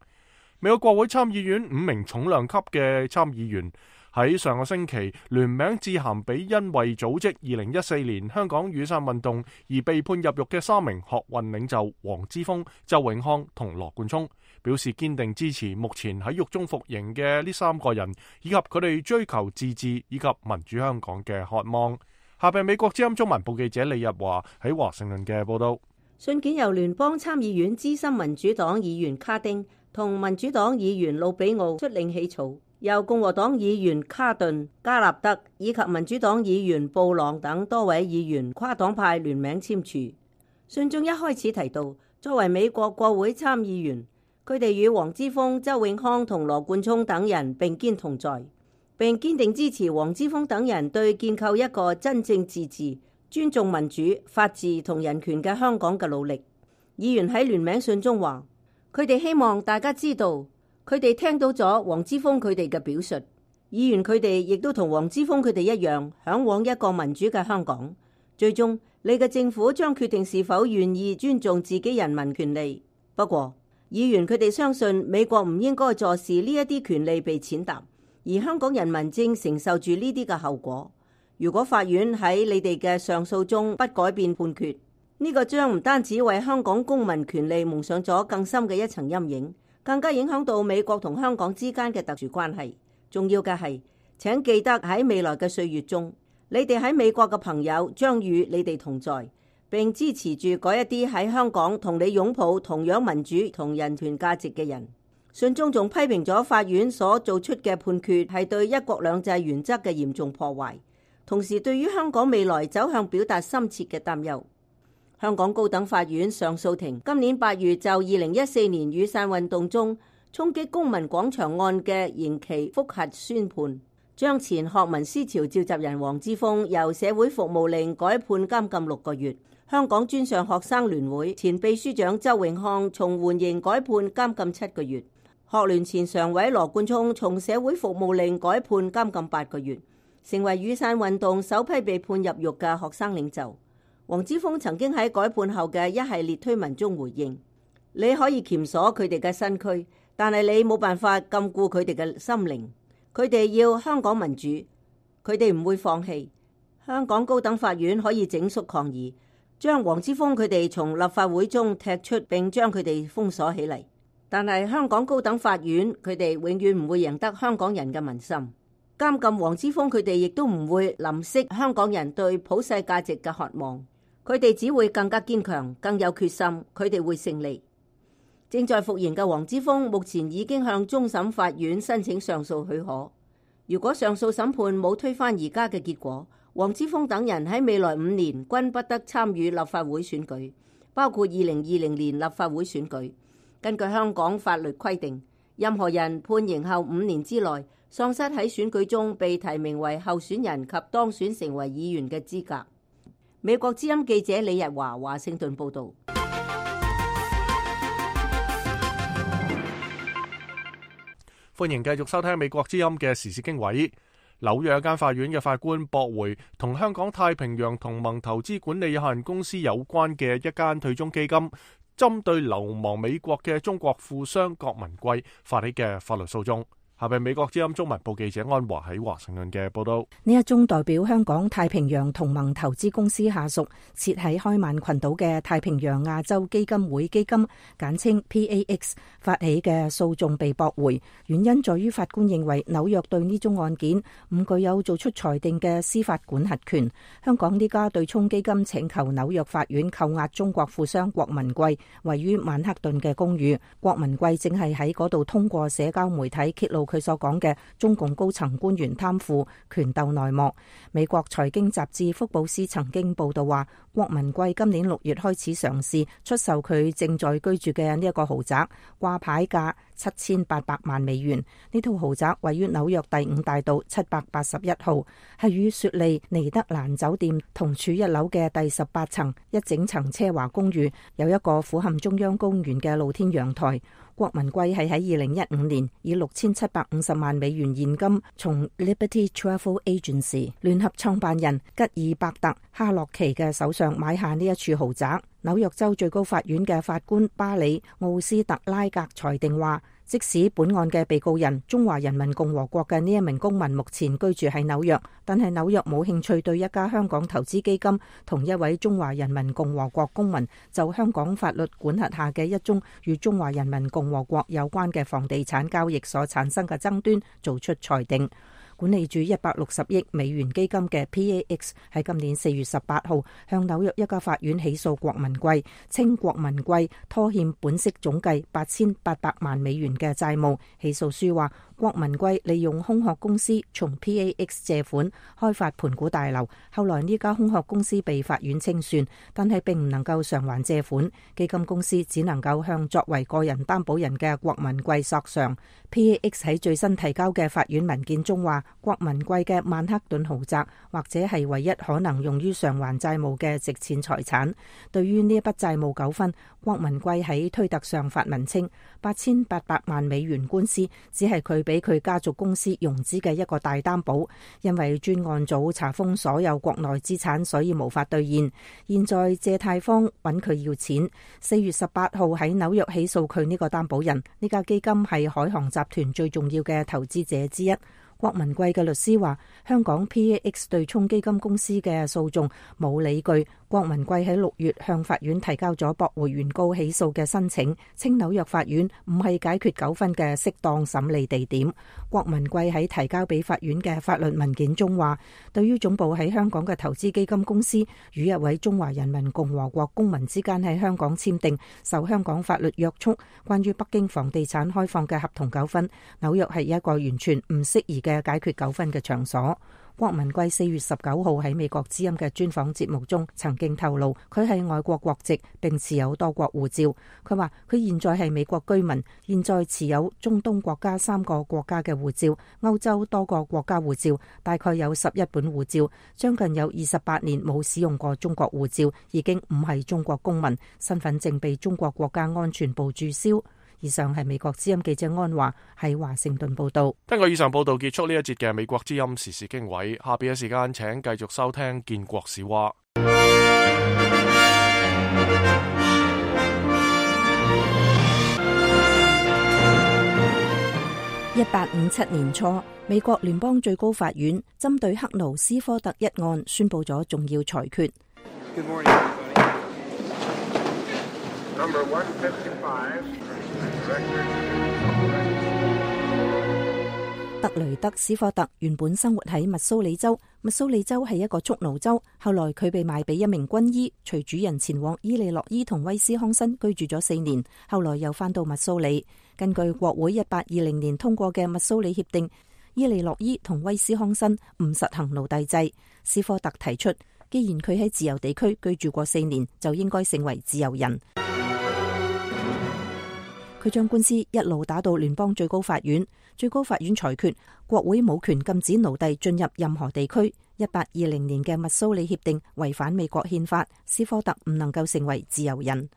Speaker 1: 美國國會參議院五名重量級嘅參議員喺上個星期聯名致函俾因為組織二零一四年香港雨傘運動而被判入獄嘅三名學運領袖黃之鋒、周永康同羅冠聰，表示堅定支持目前喺獄中服刑嘅呢三個人，以及佢哋追求自治以及民主香港嘅渴望。下邊美國之音中文部記者李日華喺華盛頓嘅報道。
Speaker 3: 信件由聯邦參議院資深民主黨議員卡丁同民主黨議員魯比奧率領起草，由共和黨議員卡頓、加納德以及民主黨議員布朗等多位議員跨黨派聯名簽署。信中一開始提到，作為美國國會參議員，佢哋與黃之鋒、周永康同羅冠聰等人並肩同在，並堅定支持黃之鋒等人對建構一個真正自治、尊重民主、法治同人權嘅香港嘅努力。議員喺聯名信中話，佢哋希望大家知道，佢哋聽到咗黃之鋒佢哋嘅表述。議員佢哋亦都同黃之鋒佢哋一樣，嚮往一個民主嘅香港。最終，你嘅政府將決定是否願意尊重自己人民權利。不過，議員佢哋相信美國唔應該坐視呢一啲權利被踐踏，而香港人民正承受住呢啲嘅後果。如果法院喺你哋嘅上訴中不改變判決，呢個將唔單止為香港公民權利蒙上咗更深嘅一層陰影，更加影響到美國同香港之間嘅特殊關係。重要嘅係，請記得喺未來嘅歲月中，你哋喺美國嘅朋友將與你哋同在，並支持住嗰一啲喺香港同你擁抱同樣民主同人權價值嘅人。信中仲批評咗法院所做出嘅判決係對一國兩制原則嘅嚴重破壞，同時對於香港未來走向表達深切嘅擔憂。香港高等法院上訴庭今年八月就二零一四年雨傘運動中衝擊公民廣場案嘅刑期覆核宣判，將前學民思潮召集人黃之鋒由社會服務令改判監禁六個月。香港專上學生聯會前秘書長周永康從緩刑改判監禁七個月。學聯前常委羅冠聰從社會服務令改判監禁八個月，成為雨傘運動首批被判入獄嘅學生領袖。黃之鋒曾經喺改判後嘅一系列推文中回應：你可以鉗鎖佢哋嘅身軀，但係你冇辦法禁錮佢哋嘅心靈。佢哋要香港民主，佢哋唔會放棄。香港高等法院可以整肅抗議，將黃之鋒佢哋從立法會中踢出，並將佢哋封鎖起嚟。但係香港高等法院佢哋永遠唔會贏得香港人嘅民心。監禁黃之鋒佢哋亦都唔會淋熄香港人對普世價值嘅渴望。佢哋只會更加堅強，更有決心。佢哋會勝利。正在服刑嘅黃之鋒目前已經向終審法院申請上訴許可。如果上訴審判冇推翻而家嘅結果，黃之鋒等人喺未來五年均不得參與立法會選舉，包括二零二零年立法會選舉。根據香港法律規定，任何人判刑後五年之內喪失喺選舉中被提名為候選人及當選成為議員嘅資格。美國之音記者李日華華盛頓報道。
Speaker 1: 歡迎繼續收聽美國之音嘅時事經緯。紐約一間法院嘅法官駁回同香港太平洋同盟投資管理有限公司有關嘅一間退休基金針對流亡美國嘅中國富商郭文貴發起嘅法律訴訟。下邊美國之音中文部記者安華喺華盛頓嘅報道。
Speaker 2: 呢一宗代表香港太平洋同盟投資公司下屬設喺開曼群島嘅太平洋亞洲基金會基金簡稱 P A X 發起嘅訴訟被駁回，原因在於法官認為紐約對呢宗案件唔具有做出裁定嘅司法管轄權。香港呢家對沖基金請求紐約法院扣押中國富商郭文貴位於曼克頓嘅公寓。郭文貴正係喺嗰度通過社交媒體揭露佢所講嘅中共高層官員貪腐權鬥內幕。美國財經雜誌福布斯曾經報道話，郭文貴今年六月開始嘗試出售佢正在居住嘅呢一個豪宅，掛牌價七千八百萬美元。呢套豪宅位於紐約第五大道七百八十一號，係與雪莉尼德蘭酒店同處一樓嘅第十八層一整層奢華公寓，有一個俯瞰中央公園嘅露天陽台。郭文貴係喺二零一五年以六千七百五十萬美元現金從 Liberty Travel Agency 聯合創辦人吉爾伯特哈洛奇嘅手上買下呢一處豪宅。紐約州最高法院嘅法官巴里奧斯特拉格裁定話，即使本案嘅被告人中華人民共和國嘅呢一名公民目前居住喺紐約，但係紐約冇興趣對一家香港投資基金同一位中華人民共和國公民就香港法律管轄下嘅一宗與中華人民共和國有關嘅房地產交易所產生嘅爭端做出裁定。管理住一百六十億美元基金嘅 P A X 喺今年四月十八號向紐約一家法院起訴郭文貴，稱郭文貴拖欠本息總計八千八百萬美元嘅債務。起訴書話，郭文貴利用空殼公司從 P A X 借款開發盤古大樓，後來呢家空殼公司被法院清算，但係並唔能夠償還借款，基金公司只能夠向作為個人擔保人嘅郭文貴索償。P A X 喺最新提交嘅法院文件中話，郭文貴嘅曼克頓豪宅或者係唯一可能用於償還債務嘅值錢財產。對於呢一筆債務糾紛，郭文貴喺推特上發文稱，八千八百萬美元官司只係佢俾佢家族公司融資嘅一個大擔保，因為專案組查封所有國內資產，所以無法兌現。現在借貸方揾佢要錢，四月十八號喺紐約起訴佢呢個擔保人。呢家基金係海航集團最重要嘅投資者之一。郭文貴嘅律師話，香港 P A X 對沖基金公司嘅訴訟冇理據。郭文貴喺六月向法院提交咗駁回原告起訴嘅申請，稱紐約法院唔係解決糾紛嘅適當審理地點。郭文貴喺提交俾法院嘅法律文件中話，對於總部喺香港嘅投資基金公司與一位中華人民共和國公民之間喺香港簽訂受香港法律約束關於北京房地產開放嘅合同糾紛，紐約係一個完全唔適宜嘅解決糾紛嘅場所。郭文貴四月十九號喺美國之音嘅專訪節目中曾經透露，佢係外國國籍並持有多國護照。佢話佢現在係美國居民，現在持有中東國家三個國家嘅護照，歐洲多個國家護照，大概有十一本護照，將近有二十八年冇使用過中國護照，已經唔係中國公民，身份證被中國國家安全部註銷。以上係美國之音記者安華喺華盛頓報道。
Speaker 1: 根據以上報道結束呢一節嘅美國之音時事經緯，下邊嘅時間請繼續收聽建國史話。
Speaker 2: 一八五七年初，美國聯邦最高法院針對克勞斯科特一案宣布咗重要裁決。
Speaker 9: Good morning, everybody. Number one fifty-five.
Speaker 2: 特雷德斯科特原本生活喺密蘇里州，密蘇里州係一個蓄奴州。後來佢被賣俾一名軍醫，隨主人前往伊利諾伊同威斯康辛居住咗四年，後來又返到密蘇里。根據國會一八二零年通過嘅密蘇里協定，伊利諾伊同威斯康辛唔實行奴隸制。斯科特提出，既然佢喺自由地區居住過四年，就應該成為自由人。佢將官司一路打到聯邦最高法院，最高法院裁決國會冇權禁止奴隸進入任何地區。一八二零年嘅密蘇里協定違反美國憲法，斯科特唔能夠成為自由人。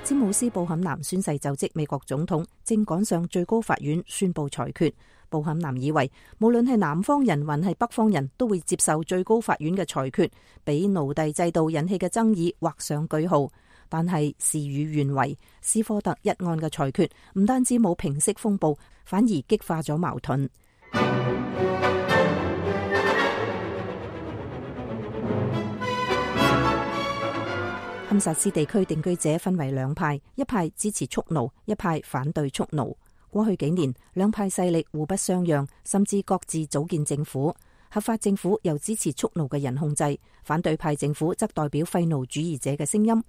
Speaker 2: 詹姆斯·布坎南宣誓就職美國總統，正趕上最高法院宣布裁決。布坎南以為無論係南方人還係北方人都會接受最高法院嘅裁決，俾奴隸制度引起嘅爭議畫上句號。但係事與願違，斯科特一案嘅裁決唔單止冇平息風暴，反而激化咗矛盾。堪薩斯地區定居者分為兩派，一派支持蓄奴，一派反對蓄奴。過去幾年，兩派勢力互不相讓，甚至各自組建政府。合法政府由支持蓄奴嘅人控制，反對派政府則代表廢奴主義者嘅聲音。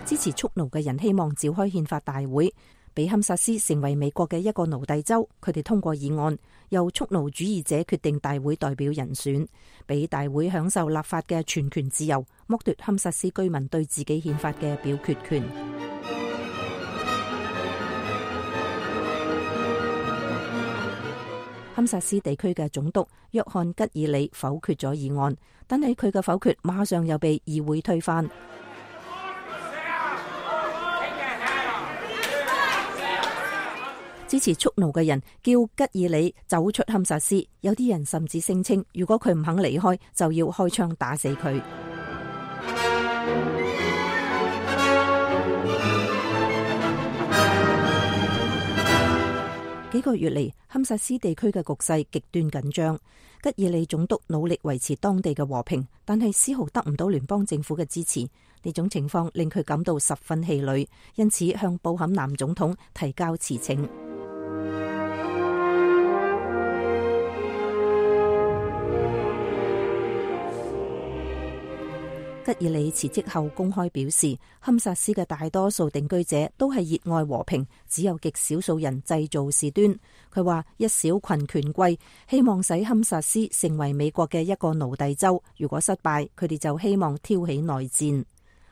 Speaker 2: 支持蓄奴嘅人希望召開憲法大會，俾堪薩斯成為美國嘅一個奴隸州。佢哋通過議案，由蓄奴主義者決定大會代表人選，俾大會享受立法嘅全權自由，剝奪堪薩斯居民對自己憲法嘅表決權。堪薩斯地區嘅總督約翰吉爾里否決咗議案，但係佢嘅否決馬上又被議會推翻。支持蓄奴嘅人叫吉爾里走出堪薩斯，有啲人甚至聲稱，如果佢唔肯離開，就要開槍打死佢。幾個月嚟，堪薩斯地區嘅局勢極端緊張。吉爾里總督努力維持當地嘅和平，但係絲毫得唔到聯邦政府嘅支持。呢種情況令佢感到十分氣餒，因此向布坎南總統提交辭呈。吉爾里辭職後公開表示，堪薩斯嘅大多數定居者都係熱愛和平，只有極少數人製造事端。佢話一小群權貴希望使堪薩斯成為美國嘅一個奴隸州，如果失敗，佢哋就希望挑起內戰。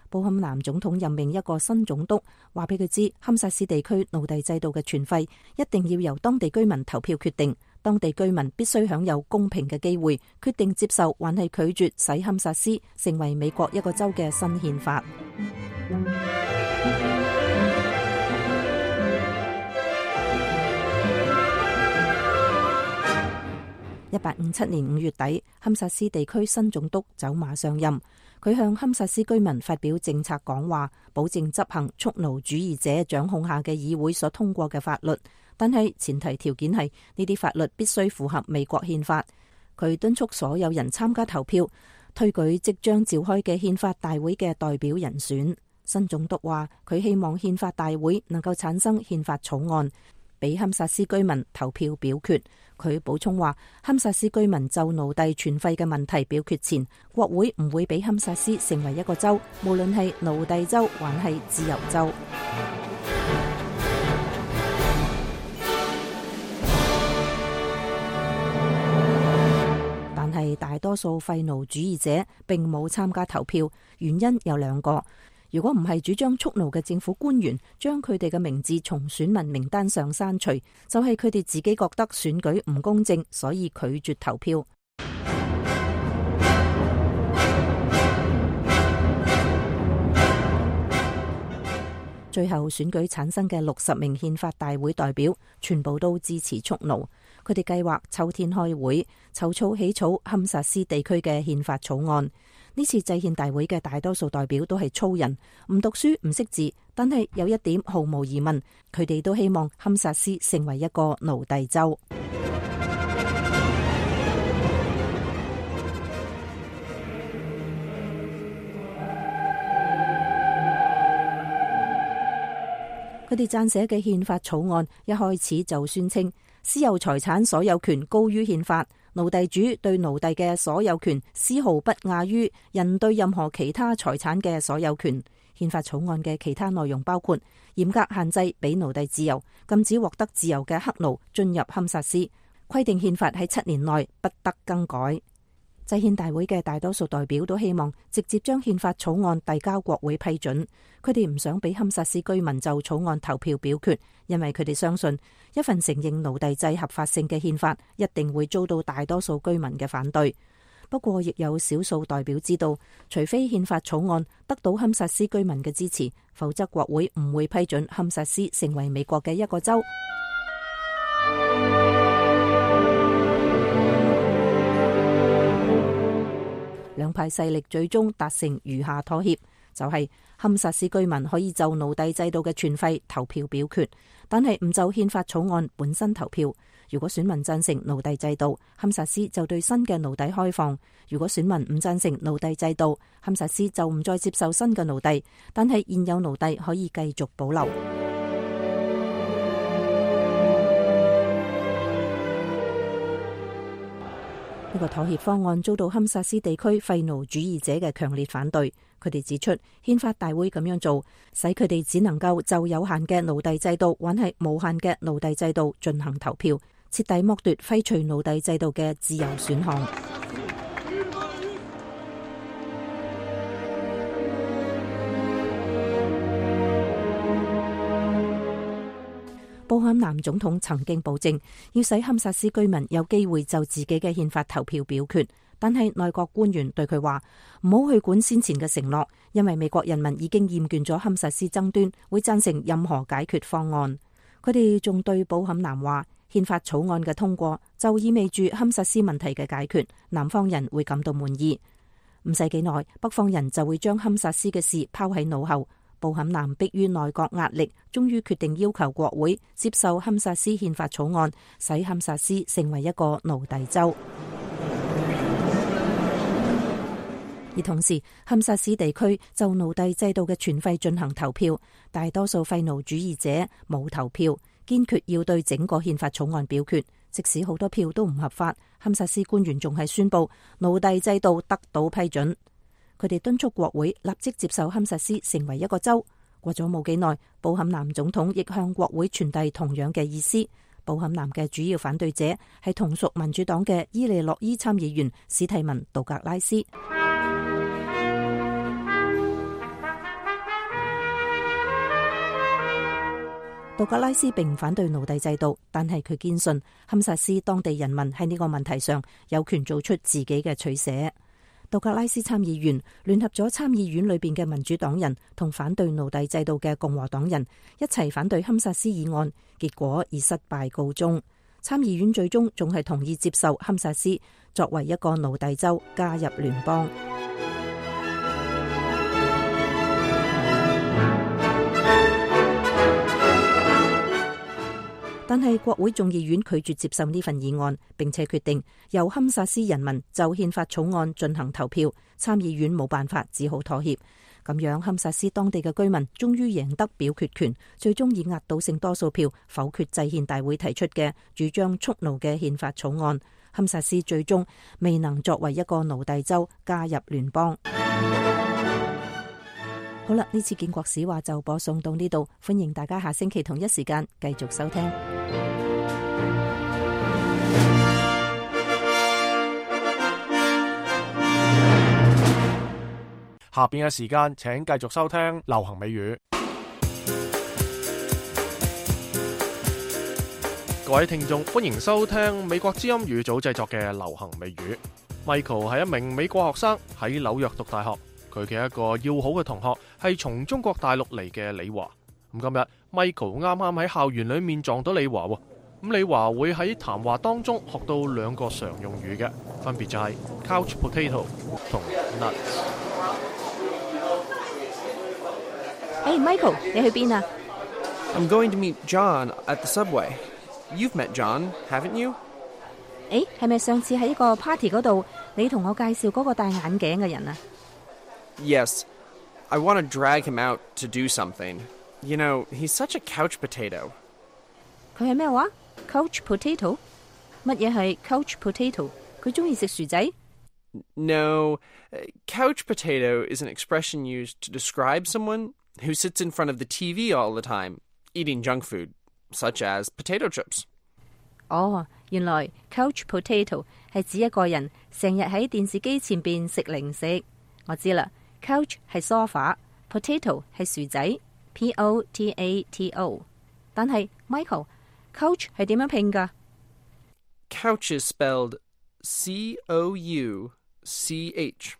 Speaker 2: 布坎南總統任命一個新總督，話俾佢知堪薩斯地區奴隸制度嘅存廢一定要由當地居民投票決定。當地居民必須享有公平嘅機會，決定接受還係拒絕使堪薩斯成為美國一個州嘅新憲法。一八五七年五月底，堪薩斯地區新總督走馬上任，佢向堪薩斯居民發表政策講話，保證執行蓄奴主義者掌控下嘅議會所通過嘅法律。但係前提條件係呢啲法律必須符合美國憲法。佢敦促所有人參加投票，推舉即將召開嘅憲法大會嘅代表人選。新總督話佢希望憲法大會能夠產生憲法草案，俾堪薩斯居民投票表決。佢補充話，堪薩斯居民就奴隸存廢嘅問題表決前，國會唔會俾堪薩斯成為一個州，無論係奴隸州還係自由州。但係大多數廢奴主義者並冇參加投票，原因有兩個。如果唔係主張蓄奴嘅政府官員將佢哋嘅名字從選民名單上刪除，就係佢哋自己覺得選舉唔公正，所以拒絕投票。最後選舉產生嘅六十名憲法大會代表全部都支持蓄奴，佢哋計劃秋天開會，籌措起草堪薩斯地區嘅憲法草案。呢次制憲大會嘅大多數代表都係粗人，唔讀書唔識字，但係有一點毫無疑問，佢哋都希望堪薩斯成為一個奴隸州。佢哋撰寫嘅憲法草案一開始就宣稱私有財產所有權高於憲法，奴隸主對奴隸嘅所有權絲毫不亞於人對任何其他財產嘅所有權。憲法草案嘅其他內容包括嚴格限制俾奴隸自由，禁止獲得自由嘅黑奴進入堪薩斯，規定憲法喺七年內不得更改。制憲大會嘅大多數代表都希望直接將憲法草案遞交國會批准。佢哋唔想俾堪薩斯居民就草案投票表決，因為佢哋相信一份承認奴隸制合法性嘅憲法一定會遭到大多數居民嘅反對。不過，亦有少數代表知道，除非憲法草案得到堪薩斯居民嘅支持，否則國會唔會批准堪薩斯成為美國嘅一個州。兩派勢力最終達成餘下妥協，就係堪薩斯居民可以就奴隸制度嘅全廢投票表決，但係唔就憲法草案本身投票。如果選民贊成奴隸制度，堪薩斯就對新嘅奴隸開放；如果選民唔贊成奴隸制度，堪薩斯就唔再接受新嘅奴隸，但係現有奴隸可以繼續保留。呢個妥協方案遭到堪薩斯地區廢奴主義者嘅強烈反對。佢哋指出，憲法大會咁樣做，使佢哋只能夠就有限嘅奴隸制度，或係無限嘅奴隸制度進行投票，徹底剝奪廢除奴隸制度嘅自由選項。布坎南總統曾經保證要使堪薩斯居民有機會就自己嘅憲法投票表決，但係內閣官員對佢話唔好去管先前嘅承諾，因為美國人民已經厭倦咗堪薩斯爭端，會贊成任何解決方案。佢哋仲對布坎南話，憲法草案嘅通過就意味住堪薩斯問題嘅解決，南方人會感到滿意。唔使幾耐，北方人就會將堪薩斯嘅事拋喺腦後。布坎南迫於內閣壓力，終於決定要求國會接受堪薩斯憲法草案，使堪薩斯成為一個奴隸州。而同時，堪薩斯地區就奴隸制度嘅全廢進行投票，大多數廢奴主義者冇投票，堅決要對整個憲法草案表決，即使好多票都唔合法。堪薩斯官員仲係宣布奴隸制度得到批准。佢哋敦促國會立即接受堪薩斯成為一個州。過咗冇幾耐，布坎南總統亦向國會傳遞同樣嘅意思。布坎南嘅主要反對者係同屬民主黨嘅伊利諾伊參議員史蒂文·杜格拉斯。杜格拉斯並唔反對奴隸制度，但係佢堅信堪薩斯當地人民喺呢個問題上有權做出自己嘅取捨。杜格拉斯參議員聯合咗參議院裏邊嘅民主黨人同反對奴隸制度嘅共和黨人一齊反對堪薩斯議案，結果以失敗告終。參議院最終仲係同意接受堪薩斯作為一個奴隸州加入聯邦。但係國會眾議院拒絕接受呢份議案，並且決定由堪薩斯人民就憲法草案進行投票。參議院冇辦法，只好妥協。咁樣，堪薩斯當地嘅居民終於贏得表決權，最終以壓倒性多數票否決制憲大會提出嘅主張蓄奴嘅憲法草案。堪薩斯最終未能作為一個奴隸州加入聯邦。好啦，呢次建國史話就播送到呢度，歡迎大家下星期同一時間繼續收聽。
Speaker 1: 下邊嘅時間，請繼續收聽流行美語。各位聽眾，歡迎收聽美國之音語組製作嘅流行美語。Michael 係一名美國學生，喺紐約讀大學。佢嘅一個要好嘅同學係從中國大陸嚟嘅李華。咁今日 Michael 啱啱喺校園裏面撞到李華喎。咁李華會喺談話當中學到兩個常用語嘅，分別就係 couch potato 同 nuts。Hey
Speaker 2: Michael， 你去邊啊？
Speaker 9: I'm going to meet John at the subway. You've met John, haven't you?
Speaker 2: 誒，係咪上次喺一個 party 嗰度，你同我介紹嗰個戴眼鏡嘅人啊？
Speaker 9: Yes, I want to drag him out to do something. You know, he's such a couch potato.
Speaker 2: 佢係咩話 ？Couch potato？ 乜嘢係 couch potato？ 佢中意食薯仔
Speaker 9: No, couch potato is an expression used to describe someone who sits in front of the T V all the time, eating junk food, such as potato chips.
Speaker 2: 哦，原來 couch potato 係指一個人成日喺電視機前邊食零食。我知啦 ，couch 係 sofa，potato 係薯仔 ，P O T A T O。但係 Michael，couch 係點樣拼㗎？
Speaker 9: Couch is spelled C O U C H。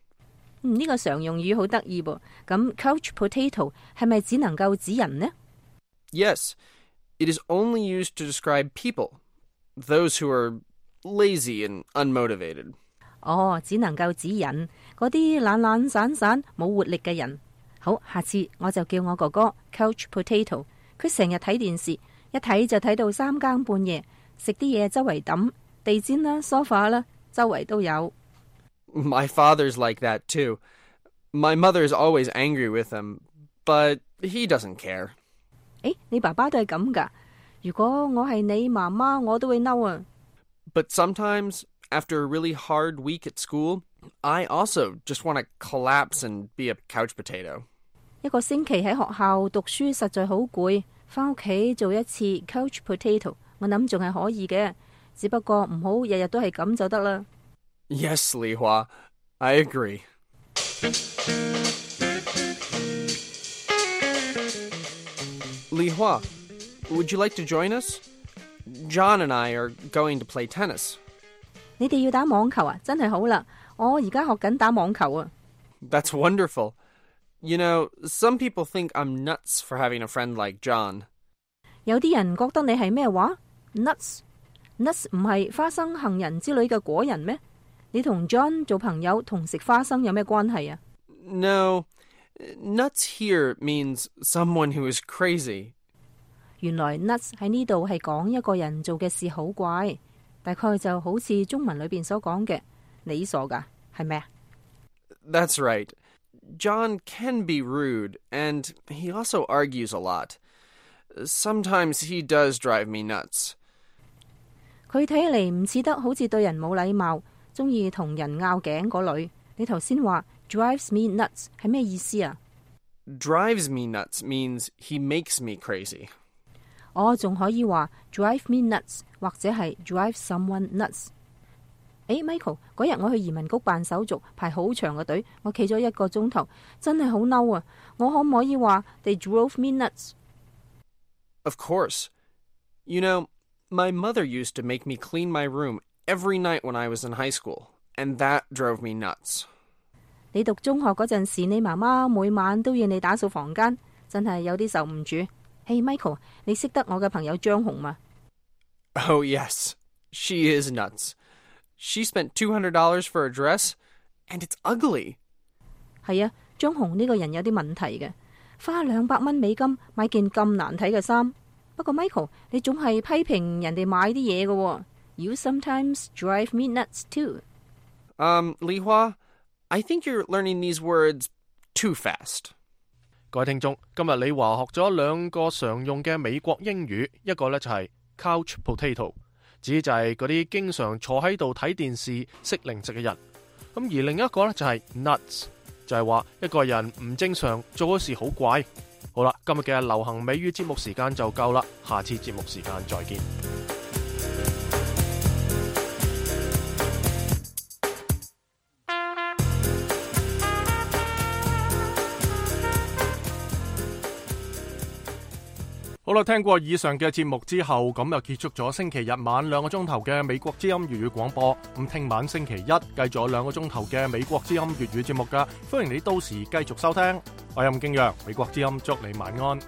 Speaker 2: 嗯，呢個常用語好得意噃。咁 couch potato 係咪只能夠指人呢？
Speaker 9: Yes, it is only used to describe people, those who are lazy and unmotivated.
Speaker 2: 哦，只能夠指人，嗰啲懶懶散散冇活力嘅人。好，下次我就叫我哥哥 couch potato。佢成日睇電視，一睇就睇到三更半夜，食啲嘢周圍抌，地氈啦、sofa 啦，周圍都有。
Speaker 9: My father's like that too. My mother's always angry with him, but he doesn't care.
Speaker 2: 誒，你爸爸都係咁㗎？如果我係你媽媽，我都會嬲啊。
Speaker 9: But sometimes, after a really hard week at school, I also just want to collapse and be a couch potato.
Speaker 2: 一個星期喺學校讀書實在好攰，返屋企做一次 couch potato， 我諗仲係可以嘅，只不過唔好日日都係咁就得啦。
Speaker 9: Yes, Li Hua, I agree. Li Hua, would you like to join us? John and I are going to play tennis.
Speaker 2: 你哋要打網球啊？真係好啦，我而家學緊打網球啊。
Speaker 9: That's wonderful. You know, some people think I'm nuts for having a friend like John.
Speaker 2: 有啲人覺得你係咩話 ？Nuts，nuts 唔係花生、杏仁之類嘅果仁咩？你同 John 做朋友同食花生有咩關係啊
Speaker 9: ？No, nuts here means someone who is crazy.
Speaker 2: 原來 nuts 喺呢度係講一個人做嘅事好怪，大概就好似中文裏邊所講嘅，你傻噶，係咪啊
Speaker 9: ？That's right. John can be rude, and he also argues a lot. Sometimes he does drive me nuts.
Speaker 2: 佢睇起嚟唔似得好似對人冇禮貌，中意同人拗頸嗰類。你頭先話 drives me nuts 係咩意思啊
Speaker 9: ？Drives me nuts means he makes me crazy.
Speaker 2: 我仲可以話 drive me nuts 或者係 drive someone nuts。誒 Michael， 嗰日我去移民局辦手續，排好長嘅隊，我企咗一個鐘頭，真係好嬲啊！我可唔可以話 they drove me nuts？
Speaker 9: Of course. You know, my mother used to make me clean my room every night when I was in high school, and that drove me nuts.
Speaker 2: 你讀中學嗰陣時，你媽媽每晚都要你打掃房間，真係有啲受唔住。Hey Michael， 你識得我嘅朋友張紅嗎？
Speaker 9: Oh yes, she is nuts. She spent two hundred dollars for a dress, and it's ugly.
Speaker 2: 係啊，張紅呢個人有啲問題嘅，花兩百蚊美金買件咁難睇嘅衫。不過 Michael， 你總係批評人哋買啲嘢嘅。You sometimes drive me nuts too.
Speaker 9: Um, Li Hua, I think you're learning these words too fast.
Speaker 1: 各位聽眾，今日李華學咗兩個常用嘅美國英語，一個呢就係 couch potato， 指就係嗰啲經常坐喺度睇電視食零食嘅人。咁而另一個呢就係 nuts， 就係話一個人唔正常，做嘅事好怪。好啦，今日嘅流行美語節目時間就夠啦，下次節目時間再見。好啦，聽過以上嘅節目之後，咁就結束咗星期日晚兩個鐘頭嘅美國之音粵語廣播。咁聽晚星期一繼續有兩個鐘頭嘅美國之音粵語節目噶，歡迎你到時繼續收聽。我係吳敬陽，美國之音祝你晚安。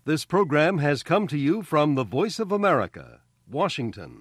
Speaker 10: This program has come to you from the Voice of America, Washington.